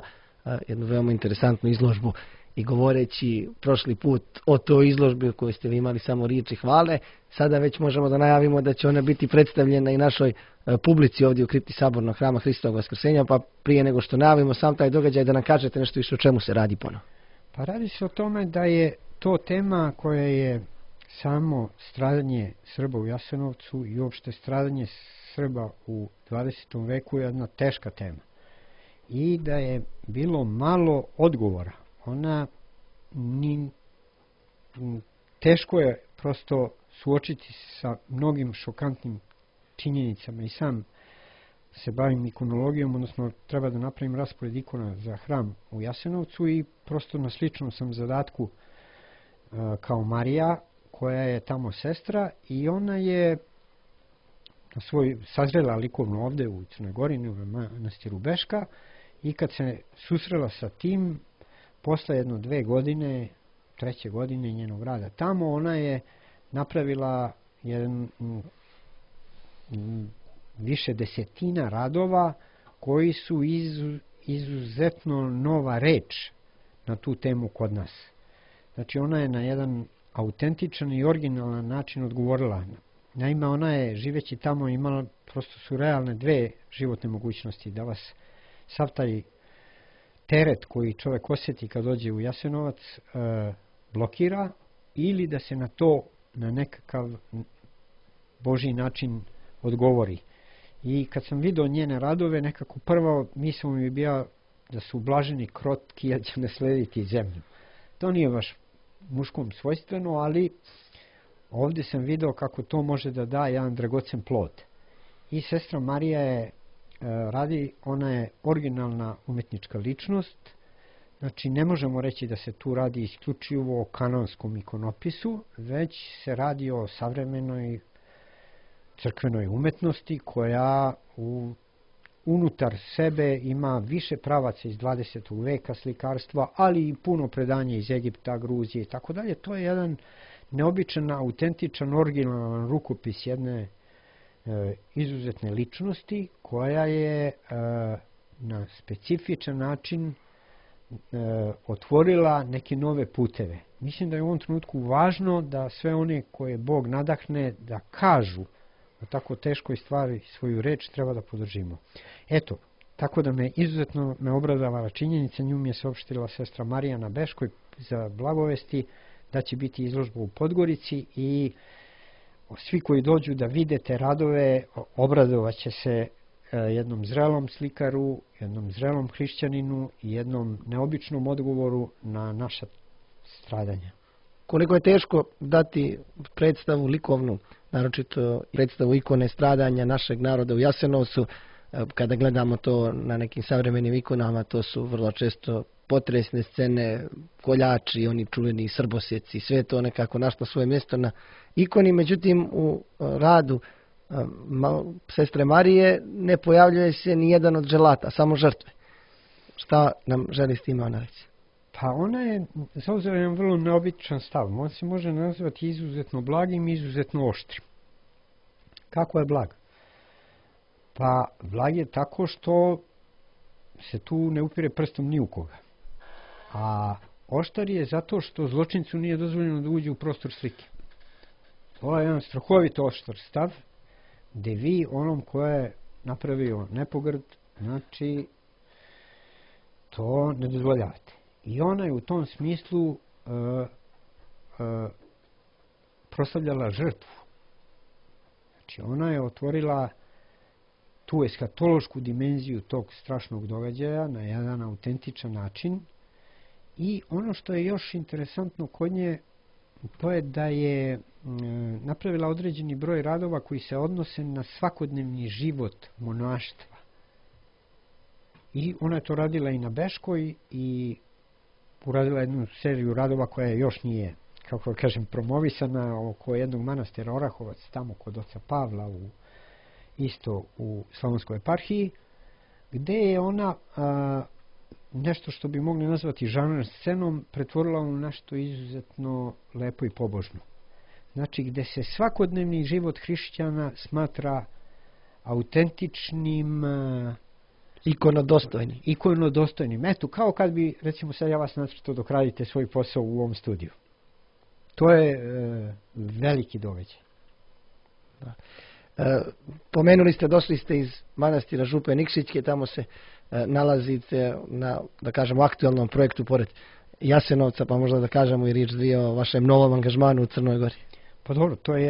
jednu veoma interesantnu izložbu i govoreći prošli put o toj izložbi u kojoj ste vi imali samo riječi hvale, sada već možemo da najavimo da će ona biti predstavljena i našoj publici ovdje u kripti Sabornog hrama Hristovog Vaskrsenja, pa prije nego što najavimo sam taj događaj da nam kažete nešto više o čemu se radi ponovo. Pa radi se o tome da je to tema koja je samo stradanje Srba u Jasenovcu i uopšte stradanje Srba u 20. veku je jedna teška tema. I da je bilo malo odgovora. Ona teško je prosto suočiti sa mnogim šokantnim činjenicama i sam se bavim ikonologijom, odnosno treba da napravim raspored ikona za hram u Jasenovcu i prosto na sličnom sam zadatku kao Marija, koja je tamo sestra i ona je sazrela likovno ovde u Crnoj Gori, u manastiru Beška i kad se susrela sa tim, posle 1-2 godine, 3. godine njenog rada tamo, ona je napravila više desetina radova koji su izuzetno nova reč na tu temu kod nas. Znači ona je na jedan autentičan i originalan način odgovorila Naime, ona je živeći tamo imala, prosto su realne dve životne mogućnosti, da vas sav taj teret koji čovjek osjeti kad dođe u Jasenovac blokira, ili da se na to na nekakav Božji način odgovori. I kad sam vidio njene radove, nekako prvo misao mi je bila da su blaženi krotki, jer će naslediti zemlju. To nije baš muškom svojstveno, ali ovdje sam vidio kako to može da da jedan dragocen plod. I sestra Marija je radi, ona je originalna umetnička ličnost, znači ne možemo reći da se tu radi isključivo o kanonskom ikonopisu, već se radi o savremenoj crkvenoj umetnosti koja unutar sebe ima više pravaca iz 20. veka slikarstva, ali i puno predanja iz Egipta, Gruzije i tako dalje. To je jedan neobičan, autentičan, originalan rukopis jedne izuzetne ličnosti koja je na specifičan način otvorila neke nove puteve. Mislim da je u ovom trenutku važno da sve one koje Bog nadahne da kažu o tako teškoj stvari svoju reč treba da podržimo. Eto, tako da me izuzetno obradovala činjenica, nju mi je saopštila sestra Marija na Beškoj za blagovesti da će biti izložba u Podgorici i svi koji dođu da vide te radove obradovaće se jednom zrelom slikaru, jednom zrelom hrišćaninu i jednom neobičnom odgovoru na naša stradanja. Koliko je teško dati predstavu likovnu, naročito predstavu ikone stradanja našeg naroda u Jasenovcu, kada gledamo to na nekim savremenim ikonama, to su vrlo često potresne scene, koljači, oni čuveni srbosjeci, sve to nekako našlo svoje mjesto na ikoni, međutim u radu sestre Marije ne pojavljuje se ni jedan od želata, samo žrtve. Šta nam želi s time ona reći? Pa ona je zauzela jedan vrlo neobičan stav. On se može nazvati izuzetno blagim i izuzetno oštrim. Kako je blag? Pa blag je tako što se tu ne upire prstom ni u koga. A oštar je zato što zločincu nije dozvoljeno da uđe u prostor slike. Ovo je jedan strahovito oštar stav, gdje vi onom ko je napravio nepogrd, znači to ne dozvoljavate. I ona je u tom smislu proslavljala žrtvu. Znači ona je otvorila tu eskatološku dimenziju tog strašnog događaja na jedan autentičan način. I ono što je još interesantno kod nje, to je da je napravila određeni broj radova koji se odnose na svakodnevni život monaštva. I ona je to radila i na Beškoj i uradila jednu seriju radova koja još nije, kako kažem, promovisana oko jednog manastira Orahovac, tamo kod oca Pavla, isto u Slavonskoj eparhiji, gdje je ona nešto što bi mogli nazvati žanr scenom pretvorila u nešto izuzetno lepo i pobožno. Znači gdje se svakodnevni život hrišćana smatra autentičnim, ikonodostojnim. Eto, kao kad bi, recimo sad ja vas nacrtao dok radite svoj posao u ovom studiju. To je veliki događaj. Da. Pomenuli ste, došli ste iz manastira Župe Nikšićke, tamo se nalazite na, da kažemo, aktualnom projektu pored Jasenovca, pa možda da kažemo i riječ dvije o vašem novom angažmanu u Crnoj Gori. Pa dobro, to je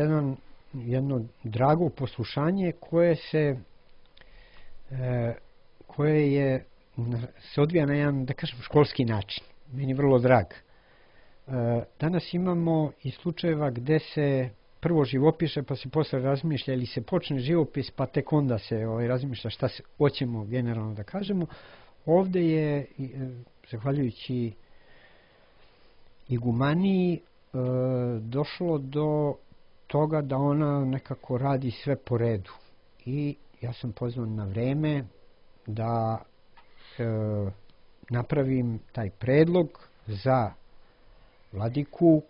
jedno drago poslušanje koje se odvija na jedan, da kažem, školski način. Meni vrlo drag. Danas imamo i slučajeva gdje se prvo živopiše, pa se posle razmišlja, ili se počne živopis, pa tek onda se razmišlja šta se hoćemo generalno da kažemo. Ovdje je, zahvaljujući igumaniji, došlo do toga da ona nekako radi sve po redu. I ja sam pozvan na vreme da napravim taj predlog za vladiku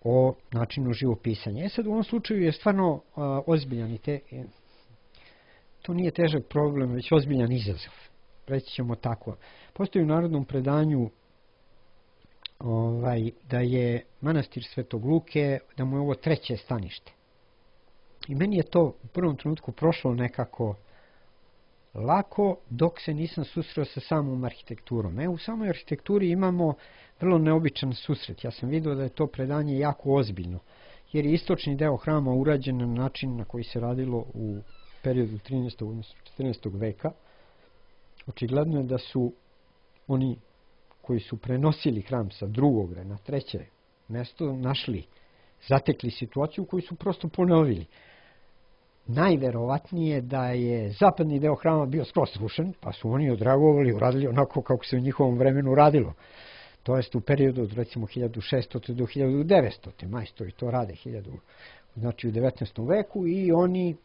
o načinu živopisanja. Sad u ovom slučaju je stvarno ozbiljan i to nije težak problem, već ozbiljan izazov. Reći ćemo tako. Postoji u narodnom predanju da je manastir Svetog Luke, da mu je ovo treće stanište. I meni je to u prvom trenutku prošlo nekako lako dok se nisam susreo sa samom arhitekturom. U samoj arhitekturi imamo vrlo neobičan susret. Ja sam vidio da je to predanje jako ozbiljno, jer je istočni deo hrama urađen na način na koji se radilo u periodu 13. odnosno 14. veka. Očigledno je da su oni koji su prenosili hram sa drugog na treće mesto zatekli situaciju koju su prosto ponovili. Najverovatnije da je zapadni deo hrama bio skroz srušen, pa su oni odreagovali, uradili onako kako se u njihovom vremenu radilo. To jest u periodu od recimo 1600. do 1900. Majstori to rade znači u 19. veku i oni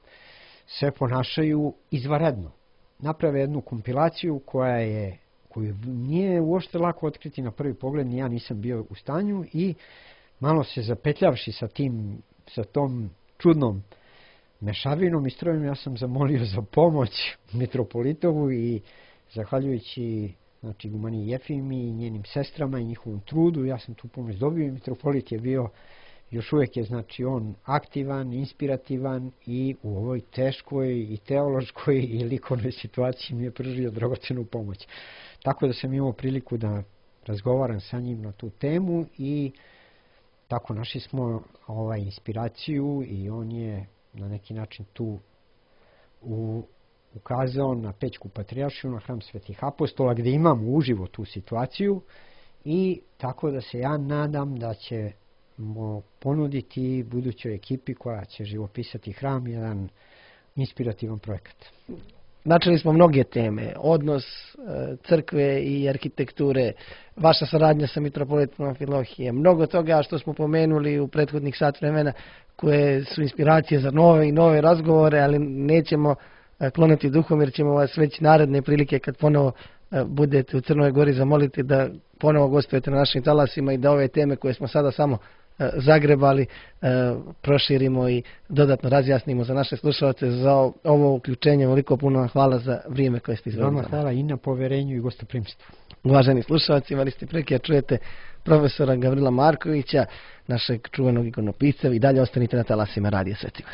se ponašaju izvanredno. Naprave jednu kompilaciju koju nije uopšte lako otkriti na prvi pogled, ni ja nisam bio u stanju i malo se zapetljavši sa tom čudnom mešavinom i strojem, ja sam zamolio za pomoć mitropolitovu i zahvaljujući Gumaniji Jefimi i njenim sestrama i njihovom trudu, ja sam tu pomoć dobio i mitropolit je bio, još uvijek je on aktivan, inspirativan i u ovoj teškoj i teološkoj i likovnoj situaciji mi je pružio dragocenu pomoć. Tako da sam imao priliku da razgovaram sa njim na tu temu i tako našli smo inspiraciju i on je na neki način tu ukazao na Pećku patrijaršiju, na hram Svetih apostola, gdje imamo uživo tu situaciju i tako da se ja nadam da ćemo ponuditi budućoj ekipi koja će živopisati hram jedan inspirativan projekat. Načeli smo mnoge teme, odnos crkve i arhitekture, vaša saradnja sa mitropolitom Amfilohije, mnogo toga što smo pomenuli u prethodnih sat vremena koje su inspiracije za nove i nove razgovore, ali nećemo klonuti duhom jer ćemo vas već naredne prilike kad ponovo budete u Crnoj Gori zamoliti da ponovo gostujete na našim talasima i da ove teme koje smo sada samo zagrebali proširimo i dodatno razjasnimo za naše slušalce. Za ovo uključenje veliko puno hvala za vrijeme koje ste izdvojili. Hvala i na poverenju i gostoprimstvu. Uvaženi slušalci, imali ste prilike čujete profesora Gavrila Markovića, našeg čuvenog ikonopisca, i dalje ostanite na talasima Radija Svetigor.